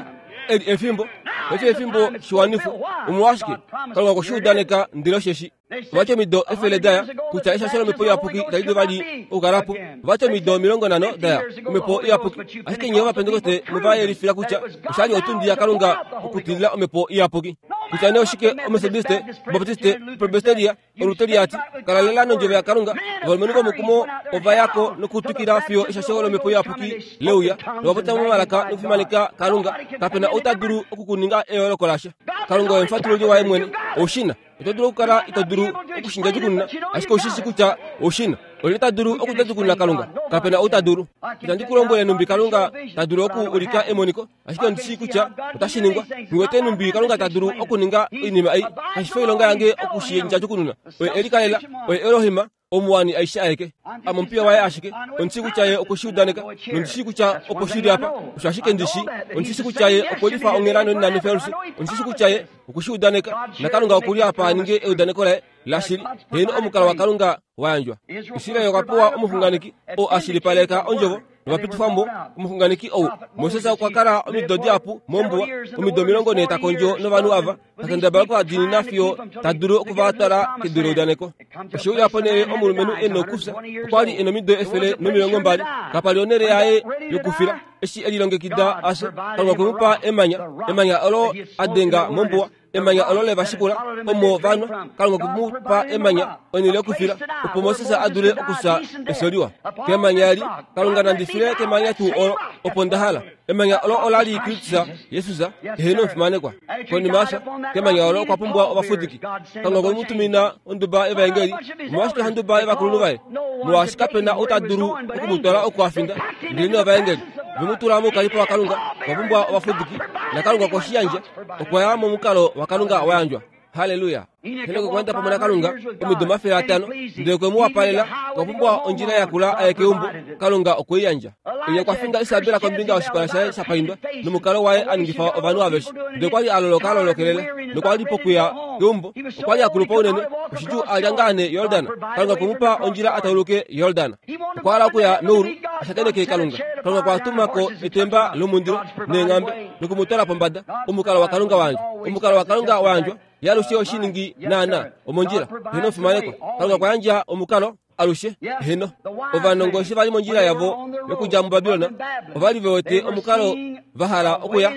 eli efimbo, paife efimbo shiwanifwa. Omolwashike? Kalunga okwe shi udaneka ndele osheshi. Ovati omido efele daya kutya eshasho lomhepo iyapuki itali dulu vali okukala po. Ovati omido omilongo nhano daya omhepo iyapuki, ashike nye Ovapentekoste mova yelifila kutya oshali otundi yaKalunga okutilila omhepo iyapuki. Kutya nee oshike Omethodiste, Obaptiste, Presbyteria, Oluteriati, kala lela nondjovo yaKalunga. Ovalumenhu vomukumo ova ya ko nokutwikila fiyo eshasho lomhepo iyapuki leuya, novapopya momalaka nokufimaneka Kalunga. Kapena ou ta dulu okukuninga eyooloko lasha. Kalunga oye omufatululi waye mwene. Oushina. Oto dulu okukala ito dulu okushindjajukununa, ashike oushi shi kutya oushina. Olyelye ta dulu okundjajukununa Kalunga? Kapena ou ta dulu. Itandi ku lombwele numbi Kalunga ta dulu oku ulika emoniko, ashike ondi shii kutya otashi ningwa. Nghi wete numbi Kalunga ta dulu okuninga oinima ei. Kashi fi oilonga yange oku shi ndjajukununa. Oye e likalela, oye Elohim, omuwani aishe aeke. Ame omupiya waye ashike. Ondi shii kutya ye okwe shi udaneka, nondi shii kutya opo shi li apa. Osho ashike ndi shii. Ondi shii kutya ye okwe lifa onghela nonena nefelusi. Ondi shii kutya ye okwe shi udaneka, naKalunga oku li apa a ninge eudaneko laye lashili. Heeno, omukalo waKalunga wa yandjwa. Israel okwa pewa omuxunganeki oo a shilipaleka ondjovo novapitifwa mo. Omuxunganeki ou Moses okwa kala omido dihapu mombuwa, omido omilongo nhee ta kondjo novanhu ava, ta kendabala okuvadiinina fiyo ta dulu oku va twala kedu leudaneko. Oshe uya ponhele omulumenhu e nokufya, okwa li e nomido efele nomilongo mbali. Kapa li onhele yaye yokufila. Eshi e lilongekida a fye, Kalunga okwe mu pa emanya, emanya olo a denga mombuwa, emanya olo le va shikula omo va nwa. Kalunga okwe mu pa emanya, onhele yokufila, opo Moses a dule okufya efyo liwa. Kemanya eli, Kalunga nandi file kemanya tuu olo, opo nda hala. Emanya olo ola li Kristus Jesus, eheno omufimanekwa. Konima yafya, kemanya olo okwa pumbwa ovafudiki. Kalunga okwe mu tumina onduba yevaengeli. Omolwashike handuba yovakulunhu vaye? Molwaashi kape na ou ta dulu oku mu twala oku a finda, ndelenee ovaengeli ve mu tula moukalipo waKalunga. Okwa pumbwa ovafudiki, naKalunga okwe shi yandja. Okwa ya momukalo waKalunga wa yandjwa. Halleluya! Henok okwa enda pamwe naKalunga omido omafele atano, ndele okwe mu wapalela. Okwa pumbwa ondjila yakula aye keumbo. Kalunga okwe i yandja. Elia okwa finda Isabel kombinga yoshipala shaye sha paindwa nomukalo waye a ningifa ovanhu aveshe. Ndele okwa li a loloka a lolokelela nokwa li pokuya keumbo. Okwa li a kulupa unene, oshidjuu a lya ngaa nee Yordan. Kalunga okwe mu pa ondjila a tauluke Yordan. Okwa hala okuya meulu a shakeneke Kalunga. Kalunga okwa tuma ko etemba lomundilo neenghambe noku mu twala pombada. Omukalo waKalunga wa yandjwa. Omukalo waKalunga wa yandjwa. Ye alushe oshiningi naana omondjila. Heno omufimanekwa. Kalunga okwa yandja omukalo alushe. Heno. Ovanongo eshi va li mondjila yavo yokudja muBabilon, ova li ve wete omukalo va hala okuya,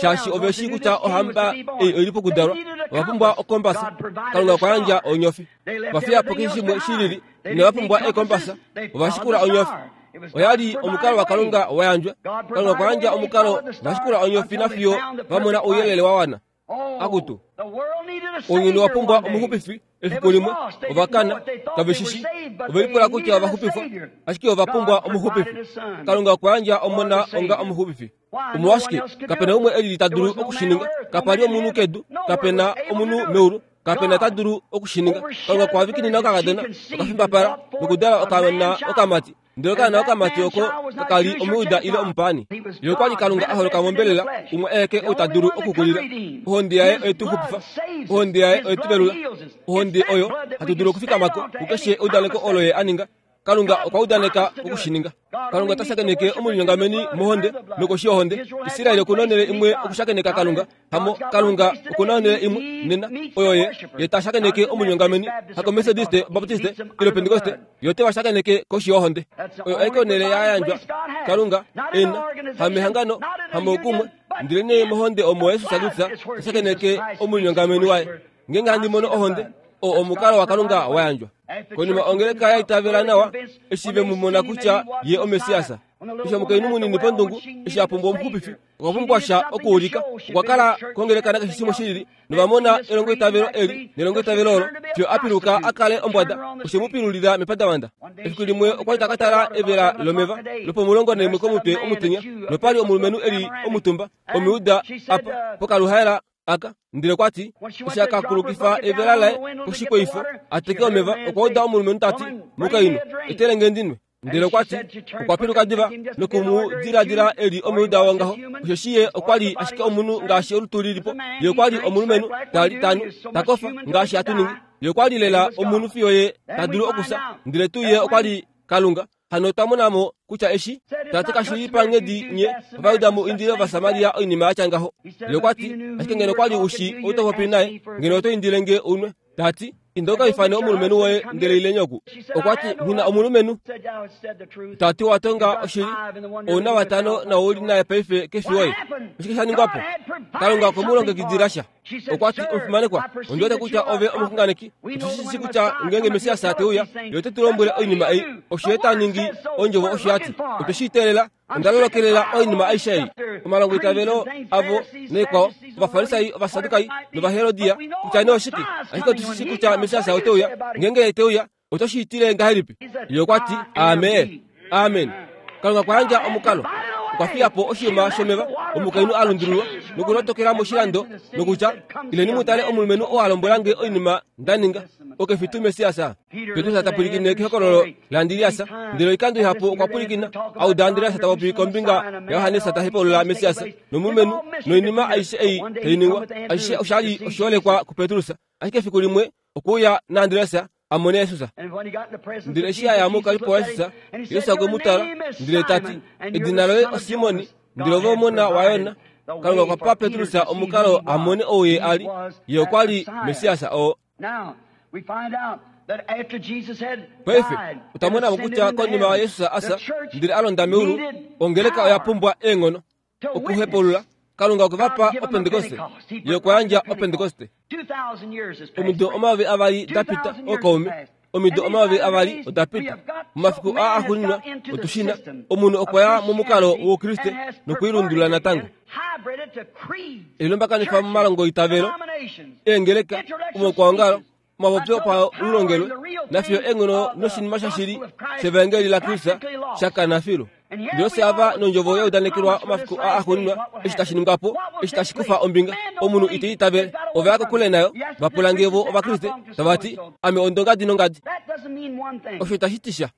shaashi ove shii kutya ohamba ei oi li pokudalwa. Ova pumbwa okombasa. Kalunga okwa yandja onyofi. Ova fiya po keshe shimwe shi lili. Inava pumbwa eekombasa. Ova shikula onyofi. Oya li omukalo waKalunga wa yandjwa. Kalunga okwa yandja omukalo va shikula onyofi nafiyo va mona ouyelele wa wana. Akutu, ounyuni wa pumbwa omuxupifi efiku limwe. Ova kana, kave shi shii. Ove lipula kutya ova xupifwa, ashike ova pumbwa omuxupifi. Kalunga okwa yandja Omona onga omuxupifi. Omolwashike kape na umwe e lili ta dulu oku shi ninga? Kapa li omunhu kedu, kape na omunhu meulu, kape na ta dulu oku shi ninga. Kalunga okwa vikinina okakadona okafimbapala nokudala okaana okamati. Ndele okaana okamati oko kaka li Omujuda ile omupaani. Ye okwa li Kalunga a holoka mombelela, umwe aeke ou ta dulu okukulila. Ohonde yaye oye tu xupifa. Ohonde yaye oye tu velula. Ohonde oyo hatu dulu okufikama ko kukeshe eudaneko olo ye a ninga. Kalunga okwa udaneka oku shi ninga. Kalunga ota shakeneke omulinyongameni mohonde nokoshi yohonde. Israel oku na onhele imwe okushakeneka Kalunga. Hamo Kalunga oku na onhele imwe nena oyo ye ye ta shakeneke omulinyongameni, hakomethodiste, Baptiste ile Pentekoste, ye ote va shakeneke koshi yohonde. Oyo aike onhele ya yandjwa Kalunga e na, hamehangano, hamoukumwe, ndelenee mohonde omo Jesus Kristus ta shakeneke omulinyongameni waye. Ngeenge handi mono ohonde, Oo omukalo waKalunga wa yandjwa. Konima ongeleka ya itavela nawa eshi ve mu mona kutya ye oMessias. Eshi omukainhu munini pondungu eshi a pumbwa omuxupifi, okwa pumbwa sha okuulika. Okwa kala kongeleka nakeshe shimwe shilili, novamona elongoitavelo eli nelongoitavelo olo, fiyo a piluka a kale ombwada, oshe mu pilulila mepandavanda. Efiku limwe okwa li ta ka tala evela lomeva lopomulongo naimwe komutwe omutenya, nopali omulumenhu eli omutumba omiuda apa pokaluhaela aka. Ndele okwa ti eshi a ka kulukifa evela laye koshikweifo a teke omeva, okwa uda omulumenhu ta ti, mukainhu, etele nge ndi nwe. Ndele okwa ti okwa piluka diva noku mu diladila eli omuuda wongaho, osheshi ye okwa li ashike omunhu ngaashi olutu lilipo. Ye okwa li omulumenhu tali tanu ta kofa ngaashi hatu ningi. Ye okwa li lela omunhu fiyo ye ta dulu okusa, ndele tuu ye okwa li Kalunga. Hano otwa mona mo kutya eshi tati kashi li panghedi nye Ovajuda mu indile Ovasamaria oinima ya tya ngaho. Ye okwa ti, ashike ngeno okwa li u shii ou to popi naye, ngeno oto indile nge unwe. Tati, inda uka ifane omulumenhu woye ndele ileni oku. Okwa ti, nghi na omulumenhu. Tati wa tonga oshili, ou na vatano na ou li naye paife kefi woye. Oshike sha ningwa po? Kalunga okwe mu longekidila sha. Okwa ti, omufimanekwa, ondi wete kutya ove omuxunganeki. Otu shi shii kutya ngeenge Messias te uya, ye ote tu lombwele oinima ei. Osho ye ta ningi, ondjovo osho ya ti. Otwe shi teelela. Onda lolokelela oinima aishe ei. Omalongoitavelo avo naikwao, Ovafarisai, Ovasadukai nOvaherodia, kutya nee oshike, ashike otu shi shii kutya Messias ote uya. Ngeenge ye te uya, oto shi itile ngahelipi? Ye okwa ti, amen. Amen. Kalunga okwa yandja omukalo. Okwa fiya po oshiyuma shomeva, omukainhu a lundululwa nokulotokela moshilando nokutya, ileni mu tale omulumenhu oo a lombwela nge oinima nda ninga. Oke fi tuu Messias? Petrus ta pwilikine kehokololo laAndreas, ndele oikando ihapu okwa pwilikina a uda Andreas ta popi kombinga yaJohannes ta hepaulula Messias nomulumenhu noinima aishe ei tai ningwa. Aishe osha li oshiholekwa kuPetrus, ashike efiku limwe okwe uya naAndreas a mone Jesus. Ndele eshi a ya mokalipo waJesus, Jesus okwe mu tala ndele ta ti, edina loye oSimon, ndele ove omona waJona. Kalunga okwa pa Petrus omukalo a mone ou ye a li. Ye okwa li Messias oo. Paife otwa mona mo kutya konima Jesus a fya ndele a londa meulu, ongeleka oya pumbwa eenghono okuhepaulula. Kalunga okwe va pa Opentekoste. Ye okwa yandja Opentekoste. Omido omayovi avali da pita, ookaume. Omido omayovi avali oda pita. Momafiku aa axuuninwa otu shi na, omunhu okwa ya momukalo wOukriste nokuilundulula natango. Elilombakanifa momalongoitavelo, eengeleka, omaukwaongalo, omapopyo opaulongelwe, nafiyo eenghono noshinima shashili shevaengeli laKristus sha kana filu. Ndele ofye ava nondjovo ya udanekelwa omafiku aa axuuninwa, eshi tashi ningwa po, eshi tashi kufa ombinga, omunhu ite itavele. Ova ya kokule nayo, va pula nge vo Ovakriste, tava ti, ame ondongadi nongadi. Osho itashi ti sha.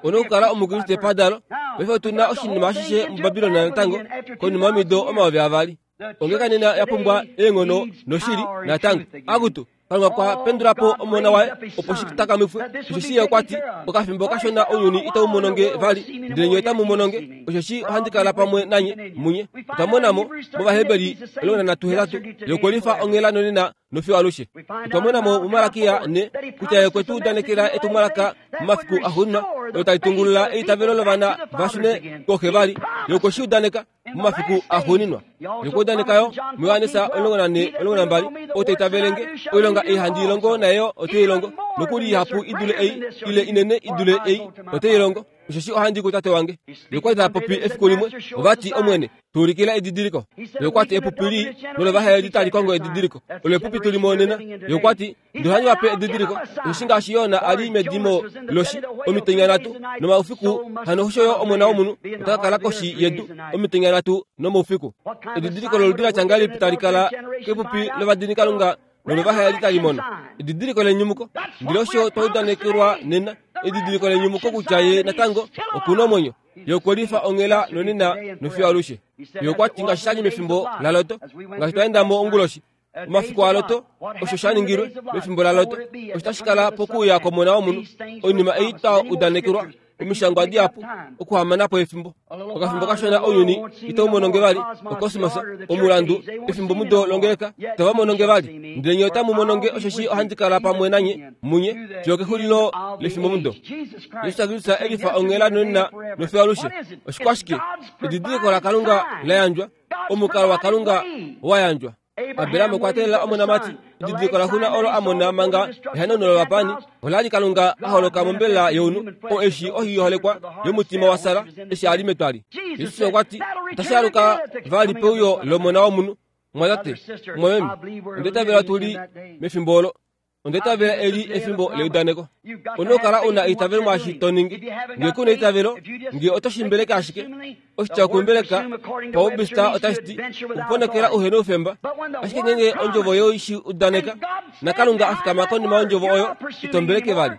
One okukala Omukriste padalo. Paife otu na oshinima ashishe muBabilon natango, konima yomido omayovi avali. Ongeleka nena ya pumbwa eenghono noshili natango. Akutu, Kalunga okwa pendula po omona waye opo shi takamifwe. Osheshi ye okwa ti, okafimbo kashona ounyuni itau mono nge vali, ndele nye otamu mono nge, osheshi ohandi kala pamwe nanye munye. Otwa mona mo mOvaheberi omulongo nanhatu hetatu, ye okwe lifa onghela nonena nofiyo alushe. Otwa mona mo muMalakia ne kutya ye okwe tu udanekela etumwalaka momafiku axuuninwa olo tali tungulula eitavelo lovana va shune kooxe vali. Ye okwe shi udaneka momafiku axuuninwa. Ye okwa udaneka yo muJohannes omulongo nanhe omulongo nambali, ou ta itavele nge, oilonga ei handi i longo naye ote i longo, nokuli ihapu i dule ei, ile inene i dule ei, ote i longo, osheshi ohandi kuTate wange. Ye okwa li ta popi efiku limwe, ova ti, Omwene, tu ulikila edidiliko. Ye okwa ti, epupi lii nolovahayeli tali kongo edidiliko. Olo epupi tu li monena. Ye okwa ti, ndele ohandi va pe edidiliko, osheshi ngaashi Jona a li medimo loshi omitenya nhatu nomaufiku, hano osho yo Omona wOmunhu ota ka kala koshi yedu omitenya nhatu nomaufiku. Edidiliko loludi la tya ngahelipi tali kala kepupi lovadinikalunga nolovahayeli tali mono? Edidiliko lenyumuko. Ndele osho twa udanekelwa nena, edidiliko lenyumuko kutya ye natango oku na omwenyo. Ye okwe lifa onghela nonena nofiyo alushe. Ye okwa ti ngaashi sha li mefimbo laLot, ngaashi twa enda mo onguloshi, omafiku aLot, osho sha ningilwe mefimbo laLot, osho tashi kala pokuuya kwOmona wOmunhu. Oinima ei twa udanekelwa omishangwa dihapu okuhamana po efimbo. Okafimbo kashona ounyuni itau mono nge vali, okosmos, omulandu, efimbo mudo longeleka, itava mono nge vali. Ndele nye otamu mono nge, osheshi ohandi kala pamwe nanye munye fiyo kexulilo lefimbo mudo. Jesus Kristus e lifa onghela nonena nofiyo alushe. Oshikwashike? Edidiliko laKalunga la yandjwa, omukalo waKalunga wa yandjwa. Abraham okwa teelela omonamati. Edidiliko laxuna olo a mona manga ehanauno lovapani ola li Kalunga a holoka mombelela younhu o eshi ohiholekwa yomutima wa Sara eshi a li metwali. Jesus okwa ti otashi aluka vali peuyo lomona womunhu. Mwatate, mwameme, ondetavela tuli mefimbo olo. Ondetavela eli efimbo leudaneko. Onokala una eitavelo mwaashi to ningi. Ngee kuna eitavelo, ngee oto shimbeleke ashike. Oshitya kumbeleka paubista otashi ti okuponokela uhena oufemba. Ashike ngeenge ondjovo yoishi udaneka, naKalunga a fikama konima yondjovo oyo, ito mbeleke vali.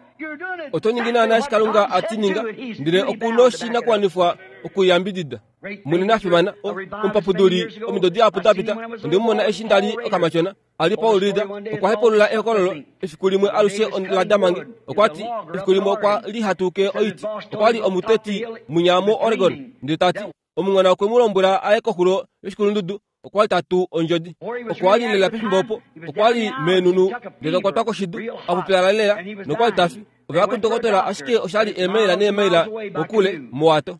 Oto ningi naana eshi Kalunga a ti ninga, ndele okuna oshinakuwanifwa okuyambidida. Munene a fimana, omupapuduli omido dihapu da pita, onde mu mona eshi nda li okamatyona. Ali Paul Reeder okwa hepulula ehokololo efiku limwe alushe la damange. Okwa ti efiku limwe okwa li hatuke oiti. Okwa li omuteti munya mo Oregon. Ndele ta ti omungona okwe mu lombwela aye koxulo yoshikulundudu. Okwa li tatu ondjodi. Okwa li lela pefimbo opo. Okwa li meenunu ndele okwa twa koshidu a pupyala lela nokwa li ta fi. Ova kudokotola ashike osha li eemaila neemaila kokule mowato.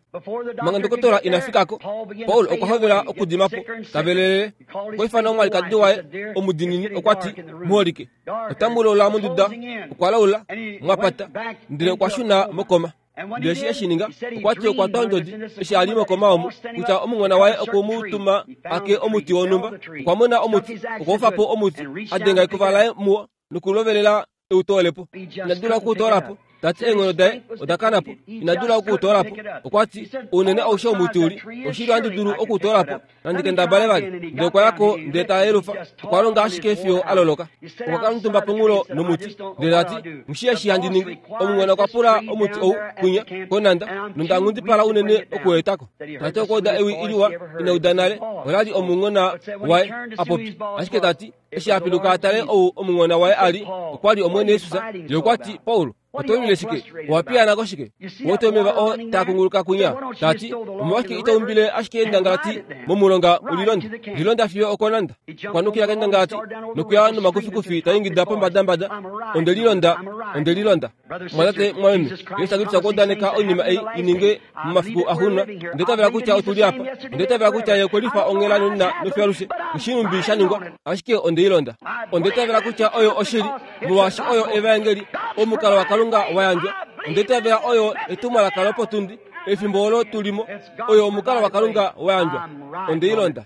Manga ndokotola ina fikako, Paul okwa hovela okudima po tavelelele. Okwa ifana omwalikadi waye omudinini okwa ti muholike. Otamulola monduda, okwa laula mwapata, ndele okwa shuna mokoma. Ndele eshi eshi ninga, okwa ti okwa twa ondjodi eshi a li mokoma omo kutya omungona waye okwe mu tuma ake omuti wonhumba. Okwa mona omuti, okwa ufa po omuti, a denga ekuva laye muwo nokulovelela eutolepo. Ina dula okuutoolapo. Tati eenghono daye oda kana po. Ina dula okuutoolapo. Okwa ti ounene aushe womuti uli oshili ohandi dulu okuutoolapo nandi kendabale vali. Ndele okwa yako ndele ta yelufa. Okwa longa ashike fiyo a loloka. Okwa kala omutumba ponghulo nomuti ndele ta ti mushi eshi handi ningi. Omungona okwa pula omuti ou kwinya konanda nonda nghundipala unene okuetako. Tati okwa uda ewi iliwa ina uda nale. Ola li omungona waye a popi. Ashike ta ti eshi a piluka a tale ou omungona waye a li, okwa li Omwene Jesus. Ye okwa ti Paul, oto lwile shike? Owa piyaana koshike? Wote omeva oo taa kunguluka kunya. Ta ti omolwashike ito umbile ashike endangalati momulonga ulilonda? Lilonda fiyo okonanda. Okwa nukila kendangalati nokuya nomakufikufi ta ingida pombadambada, onde lilonda, onde lilonda. Mwatate, mwameme, Jesus Kristus okwa udaneka oinima ei i ninge momafiku axuuninwa. Onde tavela kutya otu li apa. Onde tavela kutya ye okwe lifa onghela nonena nofiyo alushe. Nghishilumbi sha ningwa, ashike onde ilonda. Onde tavela kutya oyo oshili, molwaashi oyo evaengeli, omukalo waKalunga wa yandjwa. Onde tavela oyo etumwalaka lopotundi, efimbo olo tulimo, oyo omukalo waKalunga wa yandjwa. Onde ilonda.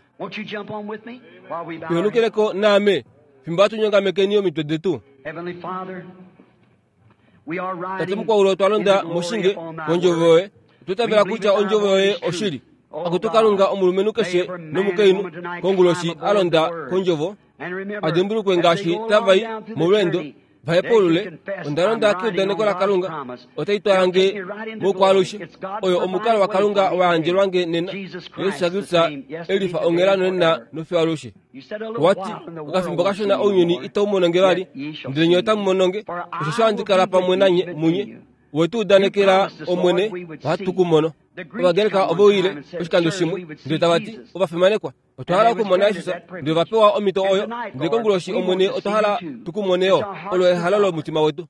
Tuhenukeleko naame, fimbo hatu nyongamekeni omitwe detu. Tate mukwaulu otwa londa moshinge kondjovo yoye. Otwa tavela kutya ondjovo yoye oshili. Akutu Kalunga omulumenhu keshe nomukainhu konguloshi a londa kondjovo, a dimbulukwe ngaashi tava i molweendo vahepulule. Onda londa keudaneko laKalunga, otai twala nge mokwaalushe. Oyo omukalo waKalunga wa yandjelwa nge nena. Jesus Kristus elifa onghela nonena nofiyo alushe. Okwa ti okafimbo kashona ounyuni itau mono nge vali, ndele nye otamu mono nge, osheshi ohandi kala pamwe nanye munye. Wetu udanekela Omwene, ohatu ku mono. Ovagreka ove uyile oshikando shimwe, ndele tava ti ovafimanekwa, otwa hala okumona Jesus, ndele ova pewa omhito oyo. Ndele konguloshi Omwene otwa hala tu ku mone yo. Olo ehalo lomutima wetu.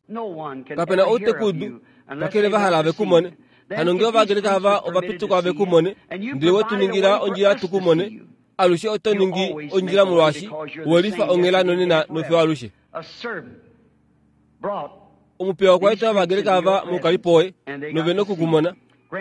Kapena outekudu kakele va hala ve ku mone. Hano ngee Ovagreka ava ova pituka ve ku mone, ndele we tu ningila ondjila tu ku mone, alushe oto ningi ondjila molwaashi we lifa onghela nonena nofiyo alushe. Omupiya okwa eta Ovagreka ava moukalipo woye, nove nokukumona.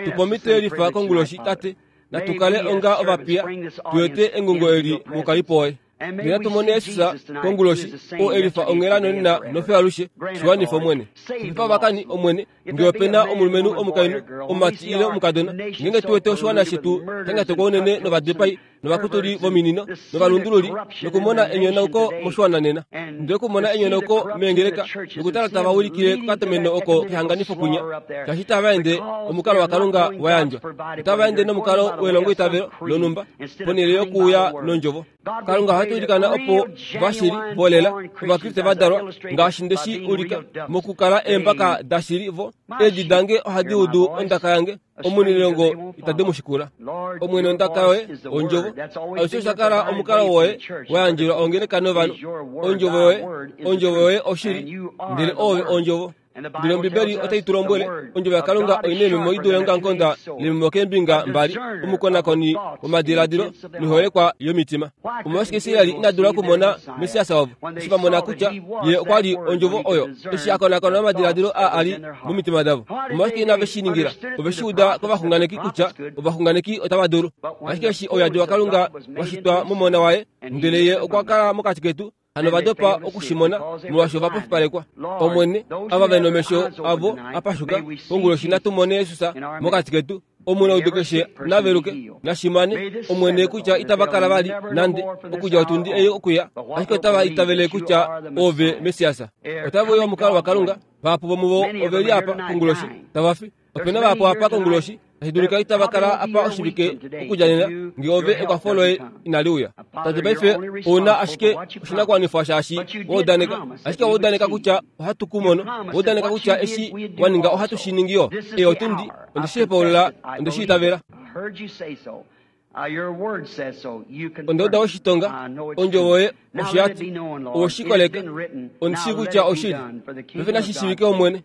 Tupa omhito yelifa konguloshi, Tate, natu kale onga ovapiya, tu ete engungo eli moukalipo woye. Ndele natu mone Jesus konguloshi, oo elifa onghela nonena nofiyo alushe. Shiwanifa Omwene. Xupifa ovakani, Omwene, ngee ope na omulumenhu omukainhu, omumati ile omukadona, ngeenge tu wete oshiwana shetu sha nyatekwa unene novadipai novakutuli vominino novalundululi, nokumona enyonauko moshiwana nena, ndele okumona enyonauko meengeleka nokutala tava ulikile kokatomeno oko kehanganifo kunya, shaashi itava ende omukalo waKalunga wa yandjwa, otava ende nomukalo welongoitavelo lonhumba ponhele yokuuya nondjovo. Kalunga ohatu ilikana opo vashili volela Ovakriste va dalwa ngaashi nde shi ulika mokukala eembaka dashili vo. Eedi dange ohadi udu ondaka yange, omunilongo itadi mu shikula. Omwene ondaka yoye ondjovo. Alushe osha kala omukalo woye wa yandjelwa ongeleka novanhu. Ondjovo yoye, ondjovo yoye oshili, ndele oove ondjovo. Ndele Ombibeli otai tu lombwele ondjovo yaKalunga oi na eememo i dule eongamukonda leememo keembinga mbali, omukonakoni womadiladilo noiholekwa yomitima. Omolwashike Israel ina dula okumona Messias wavo eshi va mona kutya ye okwa li ondjovo oyo, eshi a konakona omadiladilo aa a li momitima davo? Omolwashike inave shi ningila? Ove shi uda kovaxunganeki kutya ovaxunganeki otava dulu. Ashike eshi ouyadi waKalunga wa shitwa momona waye, ndele ye okwa kala mokati ketu, hano va dopa okushimona molwaashi ova pofipalekwa. Omwene, ava ve nomesho avo a pashuka konguloshi natu mone Jesus mokati ketu. Omunaudu keshe naveluke nashimane Omwene kutya itava kala vali nande okudja otundi ei okuya, ashike otava itavele kutya ove Messias. Otava uya omukalo waKalunga. Vahapu vomuvo ove li apa konguloshi tava fi. Opena vahapu apa konguloshi tashi dulika itava kala apa oshivike okudja nena ngee ove ekwafo loye inali uya. Tate, paife ouna ashike oshinakuwanifwa shaashi wa udaneka, ashike wa udaneka kutya ohatu ku mono, wa udaneka kutya eshi wa ninga ohatu shi ningi yo. Ei otundi, onde shi hepaulula, onde shi itavela. Onda uda oshitonga, ondjovo yoye osho ya ti, owe shi koleka, ondi shii kutya oshili. Paife nashi shiivike Omwene,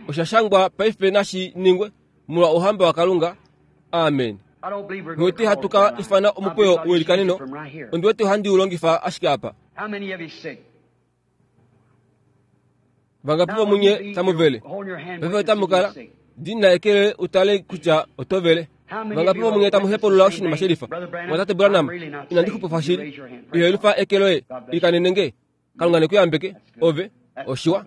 osha shangwa paife nashi ningwe molwa ouhamba waKalunga. Amen. Nghi hatu ka ifana omukweyo welikaneno, ondi wete ohandi u longifa ashike apa. Vangapi vomunye tamu vele? Paife otamu kala dina eke utale kutya oto vele. Vangapi vomunye tamu hepulula oshinima shelifa? Mwatate Branham, inandi xupifa shili. Ihelufa eke loye, ilikanene nge. Kalunga nekuyambeke, ove, oshiwa,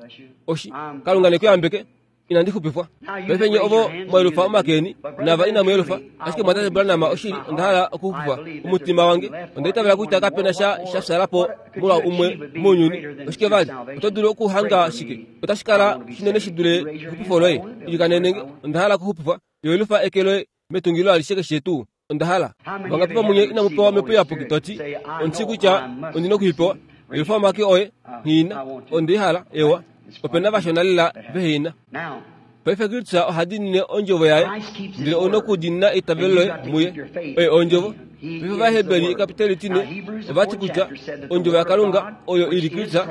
oshi, Kalunga nekuyambeke, inandi xupifwa. Paife nye ovo mwaelufa omakeni, nava inamu elufa, ashike mwatate Branham oshili onda hala okuxupifwa omutima wange. Onda itavela kutya kapena sha sha fyala po molwa umwe mounyuni. Oshike vali? Oto dulu okuhanga shike? Otashi kala shinene shi dule exupifo loye. Ilikanene nge, onda hala okuxupifwa. Ihelufa eke loye metungilo alishe keshe tuu. Onda hala. Vangapi vomunye inamu pewa Omhepo Iyapuki toti, ondi kutya ondina okuipewa? Elufa omake oye, nghina, ondi hala, ewa. Opena vashona lela vehina. Paife Kristus oha diinine ondjovo yaye, ndele ouna okudiinina eitavelo loye muye. Oye ondjovo. Paife Ovaheberi ekapiteli tine ovati kutya ondjovo yaKalunga oyo ili Kristus,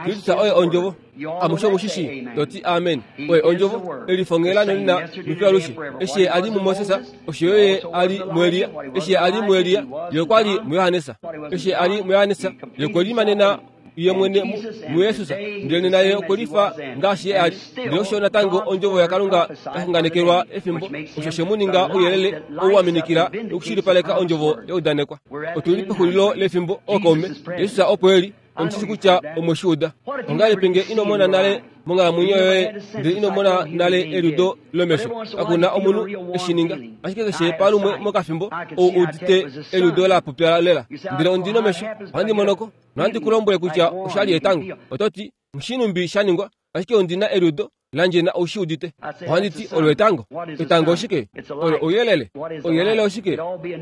Kristus oye ondjovo. Amushe omushishi toti amen. Oye ondjovo elifongela nonina mifyalushe. Eshi ye a li muMoses, osho yo ye a li muElia. Eshi ye a li muElia, ye okwa li muJohannes. Eshi ye a li muJohannes, ye okwe limanena ye mwene muJesus, ndele nena ye okwe lifa ngaashi ye a li. Ndele osho natango ondjovo yaKalunga ya xunganekelwa efimbo, osho she mu ninga ouyelele ou wa minikila nokushilipaleka ondjovo ya udanekwa. Otu li pexulilo lefimbo, ookaume. Jesus opo e li, ondi kutya omwe shi uda. Ongahelipi nge ino mona nale monghalamwenyo yoye, ndele ino mona nale eliudo lomesho? Kakuna omunhu eshi ninga, ashike keshe palumwe mokafimbo ou udite eliudo la pupyala lela. Ndele ondi nomesho, ohandi monoko, nohandi ku lombwele kutya osha li etango. Oto ti, Nghshinumbi sha ningwa, ashike ondi na eliudo landje na oushi udite. Ohandi ti olo etango. Etango oshike? Olo ouyelele. Ouyelele oshike?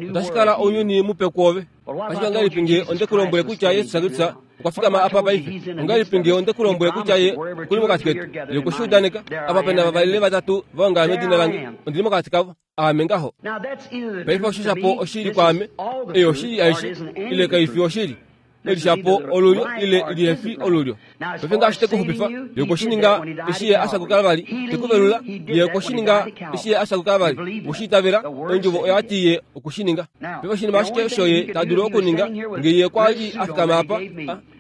Otashi kala ounyuni mupe kwoove. Ashike ongahelipi nge onde ku lombwele kutya Jesus Kristus okwa fikama apa paife? Ongahelipi nge onde ku lombwele kutya ye okuli mokati ketu? Ye okwe shi udaneka. Apa pena vavali ile vatatu va ongala medina lange, ondi li mokati kavo. Aame ngaho. Paife osho shapo oshili kwaame, ei oshili aishe, ile kai fi oshili. Elishapo olulyo ile lihefi olulyo. Paife ngaashi te ku xupifa, ye okwe shi ninga eshi ye a fya kuKalvari. Te ku velula, ye okwe shi ninga eshi ye a fya kuKalvari. Owe shi itavela, ondjovo oya ti ye okwe shi ninga. Paife oshinima ashike osho ye ta dulu okuninga, nge ye okwa li a fikama apa,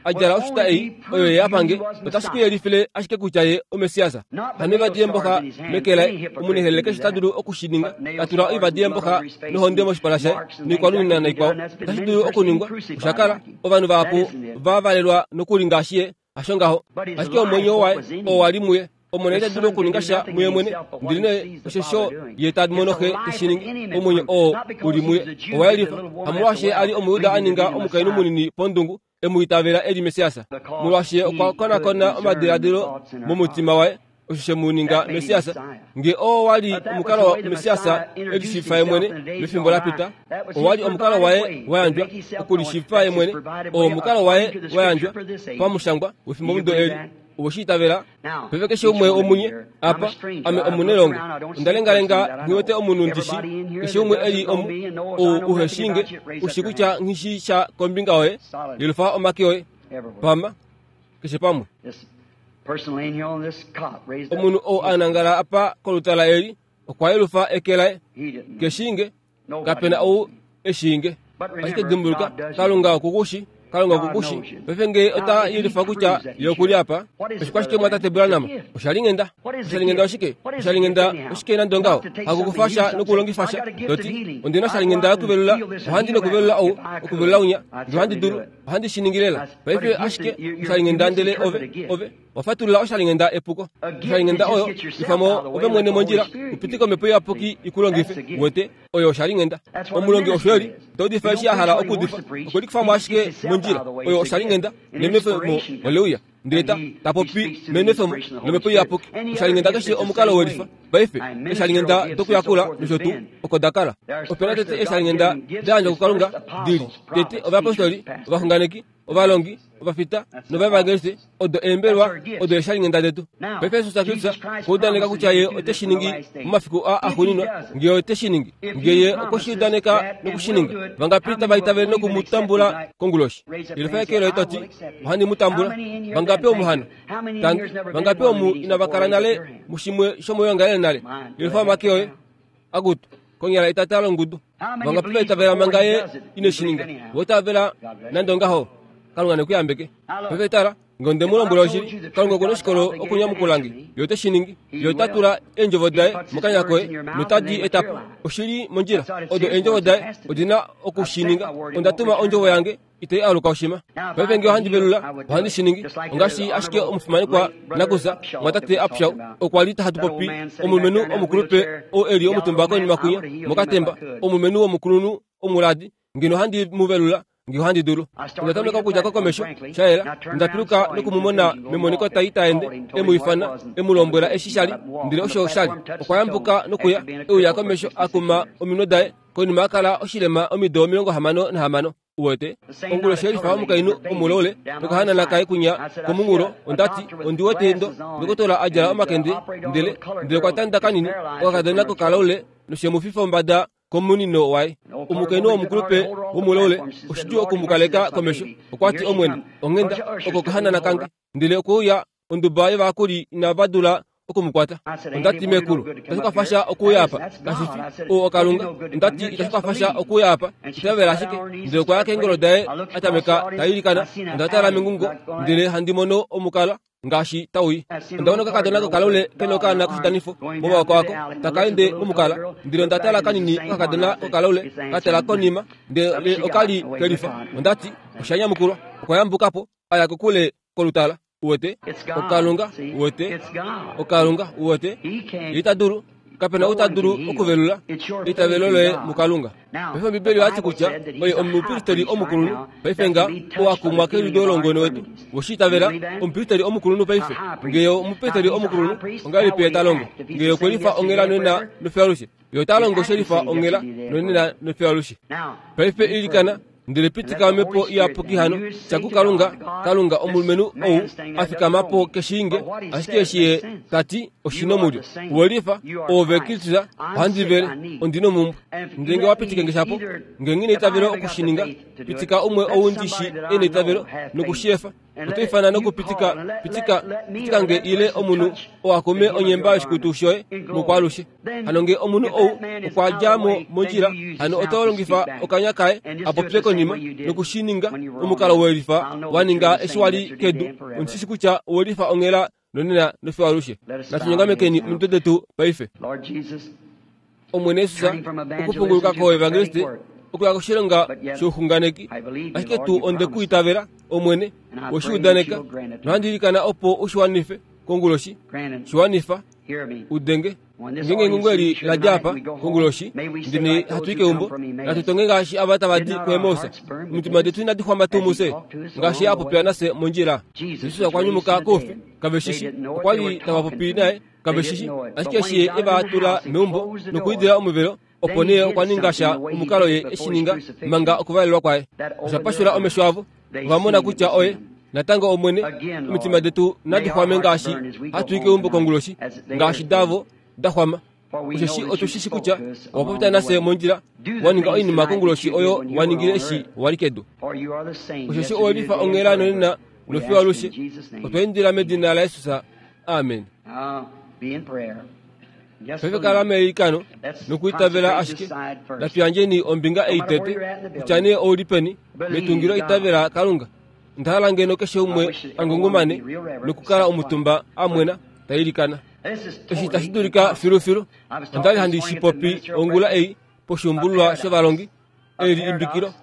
a djala oshuta ei oyo ye a pange, otashi ku yelifile ashike kutya ye oMessias. Hano oivadi yeemboxa meke laye, omunehelele keshe ta dulu oku shi ninga, ta tula oivadi yeemboxa nohonde moshipala shaye, noikwalunina naikwao. Otashi dulu okuningwa, osha kala. Ovanhu vahapu va valelwa nokuli ngaashi ye, hasho ngaho. Ashike omwenyo waye oo wa li muye, Omwene ita dulu okuninga sha muye mwene, ndele nee oshosho ye ta mono xe te shi ningi. Omwenyo oo u li muye owa yelifa, hamolwaashi ye a li Omujuda a ninga omukainhu munini pondungu, e mu itavela e li Messias. Molwaashi ye okwa konakona omadiladilo momutima waye, osho she mu ninga Messias. Nge oo wa li omukalo wa Messias e lishiifa ye mwene mefimbo la pita, owa li omukalo waye wa yandjwa okulishiifa ye mwene, oo omukalo waye wa yandjwa pamushangwa wefimbomudo eli. Owe shi itavela? Paife keshe umwe womunye apa, ame omunelongo. Onda lengalenga nghi wete omunhu ndi shi. Keshe umwe e li omu, ou uhe shii nge, u shii kutya nghi shii sha kombinga yoye, yelufa omake oye. Pama, keshe pamwe. Omunhu ou a nangala apa kolutala eli okwa yelufa eke laye keshinge kapena ou eshinge. Ashike dimbuluka, Kalunga okukushi, Kalunga okukushi. Paife ngee ota yelifa kutya ye okuli apa, oshikwashike mwatate Branham? Oshalinghenda. Oshalinghenda oshike? Oshalinghenda oshike nande ongaho? Hakukufa sha nokulongifa sha. Toti, ondina oshalinghenda yokuvelula, ohandi nokuvelula ou, okuvelula unya, ngee ohandi dulu, ohandi shi ningi lela. Paife ashike oshalinghenda ndele ove, ove, wafatulula oshalinghenda epuko. Oshalinghenda oyo, ifamo ove mwene mondjila, upitike omhepo iyapuki ikulongife, wete, oyo oshalinghenda. Omulongi osho eli, ota udifa eshi a hala okuudifa, okwe likufamo ashike mondjila, oyo oshalinghenda, nenwefemo oleuya. Ndele ta, ta popi menwefemo lomhepo iyapuki. Oshalinghenda keshe omukalo welifa. Paife, eeshalinghenda dokuyakula nosho tuu, oko da kala. Opena tete eeshalinghenda da yandjwa kuKalunga dili tete ovayapostoli, ovaxunganeki, ovalongi, ovafita novaevangeliste, odo eembelwa, odo eeshalinghenda detu. Paife Jesus Kristus okwa udaneka kutya ye ote shi ningi momafiku aa axuuninwa, ngee ote shi ningi, ngee ye okwe shi udaneka noku shi ninga, vangapi tava itavele noku mu tambula konguloshi? Yelifa eke loye to ti, ohandi mu tambula. Vangapi omu hano? Tangi. Vangapi omu inava kala nale mushimwe shomoyoongalele nale? Yelifa omake oye. Akutu, konyala etata longudu. Vangapi va itavela manga ye ine shi ninga? Vo itavela nande ongaho. Kalunga ne ku yambeke. Paife tala, ngee onde mu lombwela oshili, Kalunga okuna oshikolo okunyamukula nge. Ye ote shi ningi. Ye ota tula eendjovo daye mokanya koye notadi eta po oshili mondjila. Odo eendjovo daye odina oku shi ninga. Onda tuma ondjovo yange itai aluka oshima. Paife ngee ohandi velula, ohandi shi ningi. Ongaashi ashike omufimanekwa nakusa, mwatate Upshaw, okwa li hatu popi omulumenhu omukulupe ou eli omutumba konima kwinya mokatemba, omulumenhu womukulunhu omuladi, ngeno ohandi mu velula ngee ohandi dulu. Onda tameka okudja ko komesho, sha yela, onda piluka nokumumona memoniko tai taende, e mu ifana, e mu lombwela eshi sha li, ndele osho sha li. Okwa yambuka nokuya, e uya komesho a kuma ominwe daye, konima a kala oshilema omido omilongo hamano nahamano. Uwete, onguloshi yelifa omukainhu omuloule nokahanana kaye kwinya komunghulo, onda ti, ondi wete ndo ndokotola a djala omakende, ndele ndele okwa tanda kanini okakadona kokaloule noshemufifa ombada komunino waye. Omukainhu womukulupe womuloule oshidjuu oku mu kaleka komesho. Okwa ti, Omwene, onghenda oko okahanana kange. Ndele okwe uya onduba yovayakuli inava dula okumukwata. Onda ti, Mekulu, itashi kwafa sha okuuya apa. Kashi fi ou oKalunga. Onda ti, itashi kwafa sha okuuya apa. Itavela ashike. Ndele okwa ya keengolo daye a tameka ta ilikana. Onda tala mengungo ndele handi mono omukala ngaashi tau i. Onda mona okakadona kokaloule kena okaana koshidanifo momaoko ako taka ende momukala. Ndele onda tala kanini okakadona kokaloule ka tala konima, ndele oka li kelifa. Onda ti, osha nyamukulwa. Okwa yambuka po a ya kokule kolutala. Uwete, oKalunga, uwete, oKalunga, uwete, ye ita dulu, kapena ou ta dulu okuvelula eitavelo loye muKalunga. Paife Ombibeli oya ti kutya oye omupristeli omukulunhu. Paife nga ou a kumwa keliudo longweno wetu, weshi itavela, omupristeli omukulunhu paife. Ngee omupristeli omukulunhu, ongahelipi ye ta longo? Ngee okwe lifa onghela nonena nofiyo alushe, ye ota longo she lifa onghela nonena nofiyo alushe. Paife ilikana, ndele pitika omhepo iyapuki hano, tya kuKalunga, Kalunga, omulumenhu ou a fikama po keshiinge, ashike eshi ye ta ti oshinomulyo. Uwe lifa, oove Kristus, ohandi vele, ondi nomumbwe. Ndele ngee wa pitike nge shapo, ngee nghi neitavelo oku shi ninga, pitika umwe ou ndi shi e neitavelo noku shi efa. Oto ifana nokupitika, pitika, pitika nge ile omunhu oo a kume onyemba yoshikutu shoye mokwaalushe. Hano ngee omunhu ou okwa dja mo mondjila, hano oto longifa okanya kaye a popye konima noku shi ninga omukalo welifa wa ninga eshi wa li kedu. Ondi shi shi kutya owelifa onghela nonena nofiyo alushe. Natu nyongamekeni omitwe detu paife. Omwene Jesus, okupunguluka koevangeliste okuya koshilonga shouxunganeki, ashike tuu onde ku itavela, Omwene, we shi udaneka, nohandi ilikana opo u shi wanife konguloshi. Shi wanifa, udenge. Ngeenge engungo eli la dja apa konguloshi, ndele hatu i keumbo, natu tonge ngaashi ava tava di kuEmaus. Omitima detu inadi xwama tuu mufye, ngaashi ye a popila nafye mondjila? Jesus okwa nyumuka koufi, kave shi shi. Okwa li tava popi naye, kave shi shi. Ashike eshi ye e va tula meumbo nokwiidila omuvelo, opo nee okwa ninga sha omukalo ye e shi ninga manga okuvalelwa kwaye. Osha pashula omesho avo, ova mona kutya oye natango Omwene. Omitima detu nadi xwame ngaashi hatu i keumbo konguloshi, ngaashi davo da xwama. Osheshi otu shi shi kutya owa popya nafye mondjila, wa ninga oinima konguloshi oyo wa ningile eshi wa li kedu. Osheshi owe lifa onghela nonena nofiyo alushe. Otwa indila medina laYesus. Amen. Paife kala meilikano nokuitavela ashike. Natuyandjeni ombinga ei tete, kutya nee ouli peni metungilo itavela Kalunga. Ndahala ngeno keshe umwe angungumane nokukala omutumba amwena tailikana. Eshi tashi dulika filufilu. Ondali handi shipopi ongula ei poshumbululwa shovalongi. Eli imbikilo,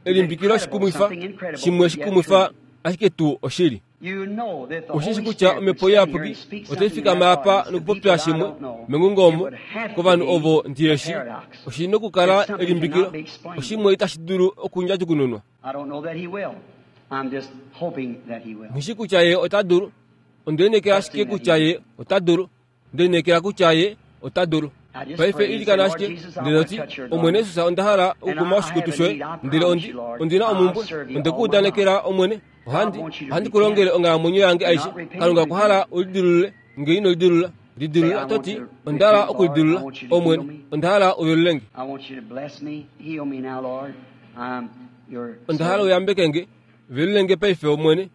elimbikilo shikumwifa, shimwe shikumwifa ashike tuu oshili. Oshishi kutya omhepo iyapuki otai fikama apa nokupopya shimwe mengungo omo kovanhu ovo ndiyeshi. Oshi nokukala elimbikilo, oshimwe itashi dulu okundjadjukununwa. Nghishi kutya ye ota dulu. Ondiinekela ashike kutya ye ota dulu. Ndiinekela kutya ye ota dulu. Paife ilikana ashike ndele oti, Omwene Jesus, onda hala okukuma oshikutu shoye, ndele ondi ondina omumbwe, onde ku udanekela Omwene, ohandi ohandi ku longele onghalamwenyo yange aishe. Kalunga okwa hala ulidilulule, nge ino lidilula, lidilula toti, onda hala okulidilula, Omwene, onda hala uvelulenge. Onda hala uyambeke nge, velulenge paife Omwene,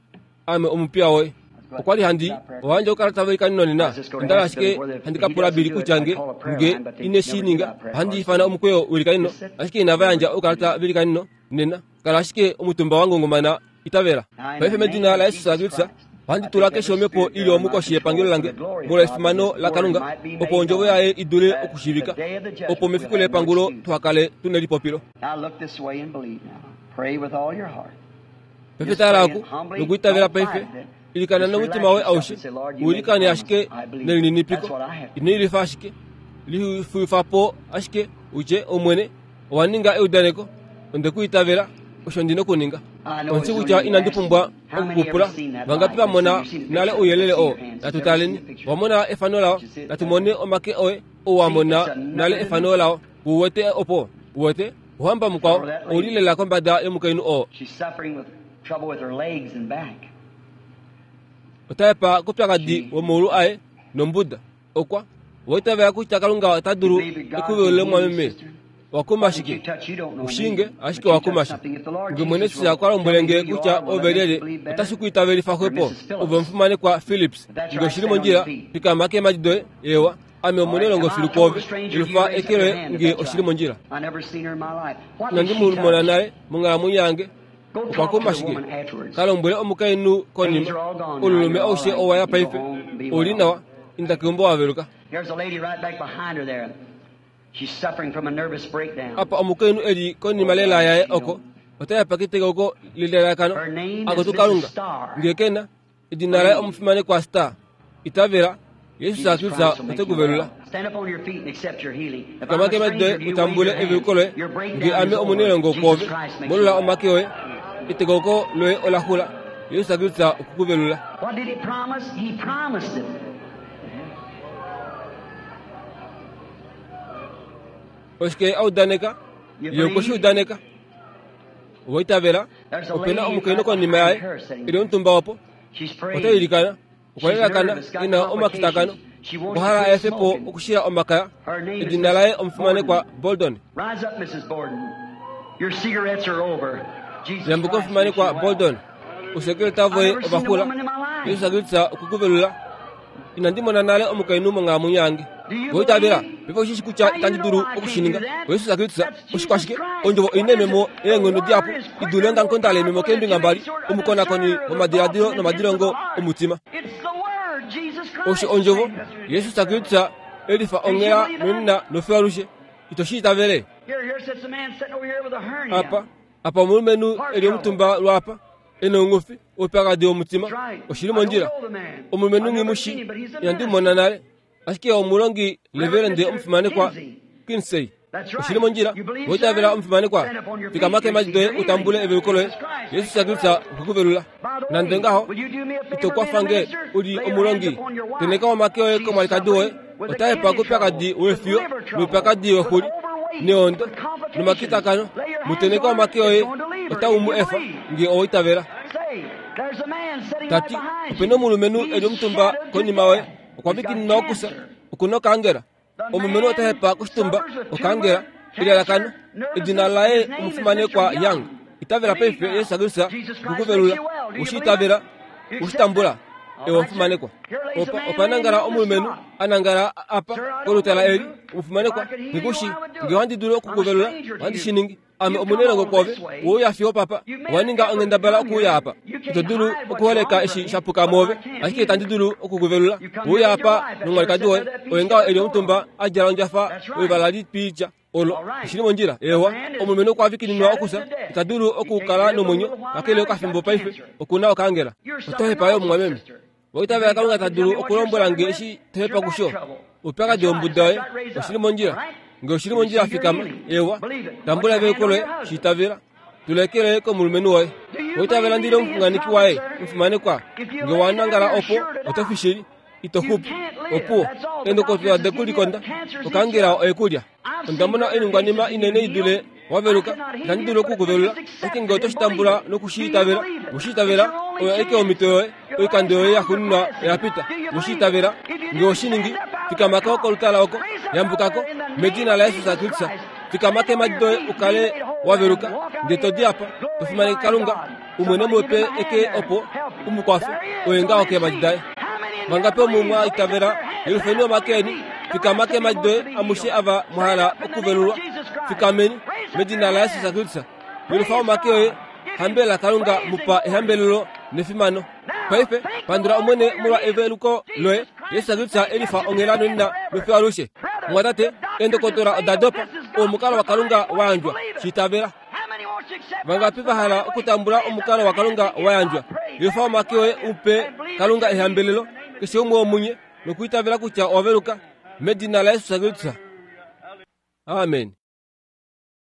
ame omupiya woye. Okwa li handi ohandje okukala tava nonena. Ondala ashike handi kapula Bili kutya nge nge ine shi ninga, ohandi ifana omukweyo welikanino, ashike inava yandja okukalata velikanino nena. Kala ashike omutumba wangungumana itavela. Paife medina laYesus Kristus, ohandi tula keshe omhepo ili omukoshi yepangelo lange molwa efimano laKalunga, opo ondjovo yaye idule okushivika, opo mefiku lepangulo tuhakale tuna elipopilo. Paife tala oku nokuitavela paife. Ilikana nomutima woye aushe, uilikane ashike nelininipiko, ino ilifa ashike, lifuifapo ashike utye, Omwene, owa ninga eudaneko, onde ku itavela, osho ndina okuninga. Ondishi kutya inandi pumbwa okukupula. Vangapi vamona nale ouyelele oo? Natu taleni. Wamona efano lao? Natu mone omake oye ou wamona nale efano lao. Uwete opo? Uwete? Ohamba mukwao ouli lela kombada yomukainhu oo. Otaepa kopyakadi womaulu aye nombuda. Okwa waitavela kutya Kalunga ota dulu ekuvelule mwameme. Wakuma shike? Ushinge ashike wakuma shike. Nge Mwene Jesus okwa lombwele nge kutya ove lyelye, otashi ku itavelifa xwepo. Ove omufimanekwa Philips, nge oshili mondjila, fikama keemhadi doye. Ewa, ame omunelongo filu kwoove. Elufa eke loye nge oshili mondjila. Inandi mu mona nale monghalamwenyo yange. Okwa kuma shike? Kalombwele omukainhu konima. Olulume aushe owa ya paife. Ouli nawa, inda keumbo waveluka. Apa omukainhu eli konima lela yaye oko, otaya pakitekeko lelelakano akotu Kalunga. Nge kena, edina laye omufimanekwa Star. Itavela, Yesus Kristus ote ku velula. Fikama keemhadi doye utambule eveluko loye. Nge ame omunelongo kwoove, molola omake oye. Etekoko loye ola xula. Yesus Kristus okukuvelula. Oshike audaneka? Ye okwe shi udaneka. Owaitavela, opena omukainhu konima yaye eli omutumba opo. Ota ilikana, okwa lelakana ena omakitakano. Okwa hala a efe po okushila omakaya. Edina laye omufimanekwa Boldon. Yambuka omufimanekwa Boldon. Ousekeleta voye ova xula. Jesus Kristus okukuvelula. Inandi mona nale omukainhu monghalamwenyo yange. Owaitavela, paife oshishi kutya itandi dulu okushininga. Jesus Kristus oshikwashike? Ondjovo oina ememo eenghono dihapu idule ongamukonda lememo keembinga mbali, omukonakoni womadiladilo nomadilongo omutima. Osho ondjovo Jesus Kristus elifa onghela nonena nofiyo alushe. Ito shi itavele? Apa, apa omulumenhu eli omutumba lwapa, ena oungufi oupyakadi womutima. Oshili mondjila. Omulumenhu nghimushi, inandi mu mona nale, ashike omulongi leverende omufimanekwa Kinsey. Oshili mondjila. Owaitavela omufimanekwa, fikama keemhadi doye utambule eveluko loye. Jesus Kristus okukuvelula. Nande ngaho, ito kwafa nge uli omulongi. Teneka omake oye komwalikadi woye. Otaepa koupyakadi wefiyo noupyakadi wexuli neondo nomakitakano. Muteneka omake oye, otau mu efa nge owaitavela. Tati, opena omulumenhu eli omutumba konima yoye, okwa vikinina okusa, okuna okaangela. Omulumenhu ota hepa koshitumba okaangela, elalakano. Edina laye omufimanekwa Young. Itavela paife Jesus Kristus okukuvelula. Oshi itavela, Ushitambula ewa omufimanekwa. Opa opa nangala omulumenhu anangala apa kolutala eli omufimanekwa ngikushi nge ohandi dulu okukuvelula ohandi shi ningi. Ame omunelongo kwoove wouya fiyo papa owaninga onghendabala okuuya apa. Ito dulu okuholeka eshi shapuka mwoove ashike itandi dulu okukuvelula. Wouya apa nomwalikadi woye oye ngaho eli omutumba a djala ondjafa wevala litwiitya olo oshili mondjila. Ewa omulumenhu okwa vikininwa okufya ita dulu okukala nomwenyo kakele okafimbo paife okuna okaangela. Oto hepa yo mumwameme. Owaitavela Kalunga ta dulu okulombwela nge eshi to hepa kusho. Oupyakadi wombuda yoye oshili mondjila. Nge oshili mondjila fikama. Ewa tambula eveluko loye shiitavela. Tula eke loye komulumenhu woye. Owaitavela ndili omuxunganeki waye omufimanekwa. Nge wanangala opo oto fi shili ito xupu. Opuwo eendokotola dekulikonda okaangela oyekulya. Onda mona oiningwanima inene idule waveluka itandi dulu okukuvelula. Ashike nge oto shi tambula nokushiitavela, weshiitavela oyo aike omhito yoye. Oikando yoye yaxuuninwa oya pita. Weshiitavela nge oshiningi fikamako kolutala oko yambukako medina laJesus Kristus. Fikama keemhadi doye ukale waveluka ndele to di apa to fimaneke Kalunga umwene mupe eke opo umukwafe oye ngaho keemhadi daye. Vangapi omu mwa itavela yelufeni omake eni. Fikama keemhadi doye amushe ava mwahala okuvelulwa. Fikameni medina laJesus Kristus. Yelufa omake oye hambela Kalunga mupa ehambelelo nefimano. Paife pandula Omwene molwa eveluko loye. Jesus Kristus elifa onghela nonena nofiyo alushe. Mwatate eendokotola oda dopa omukalo waKalunga wayandjwa shiitavela. Vangapi vahala okutambula omukalo waKalunga wayandjwa? Yelufa omake oye upe Kalunga ehambelelo keshe umwe womunye nokwiitavela kutya owaveluka medina laJesus Kristus. Amen.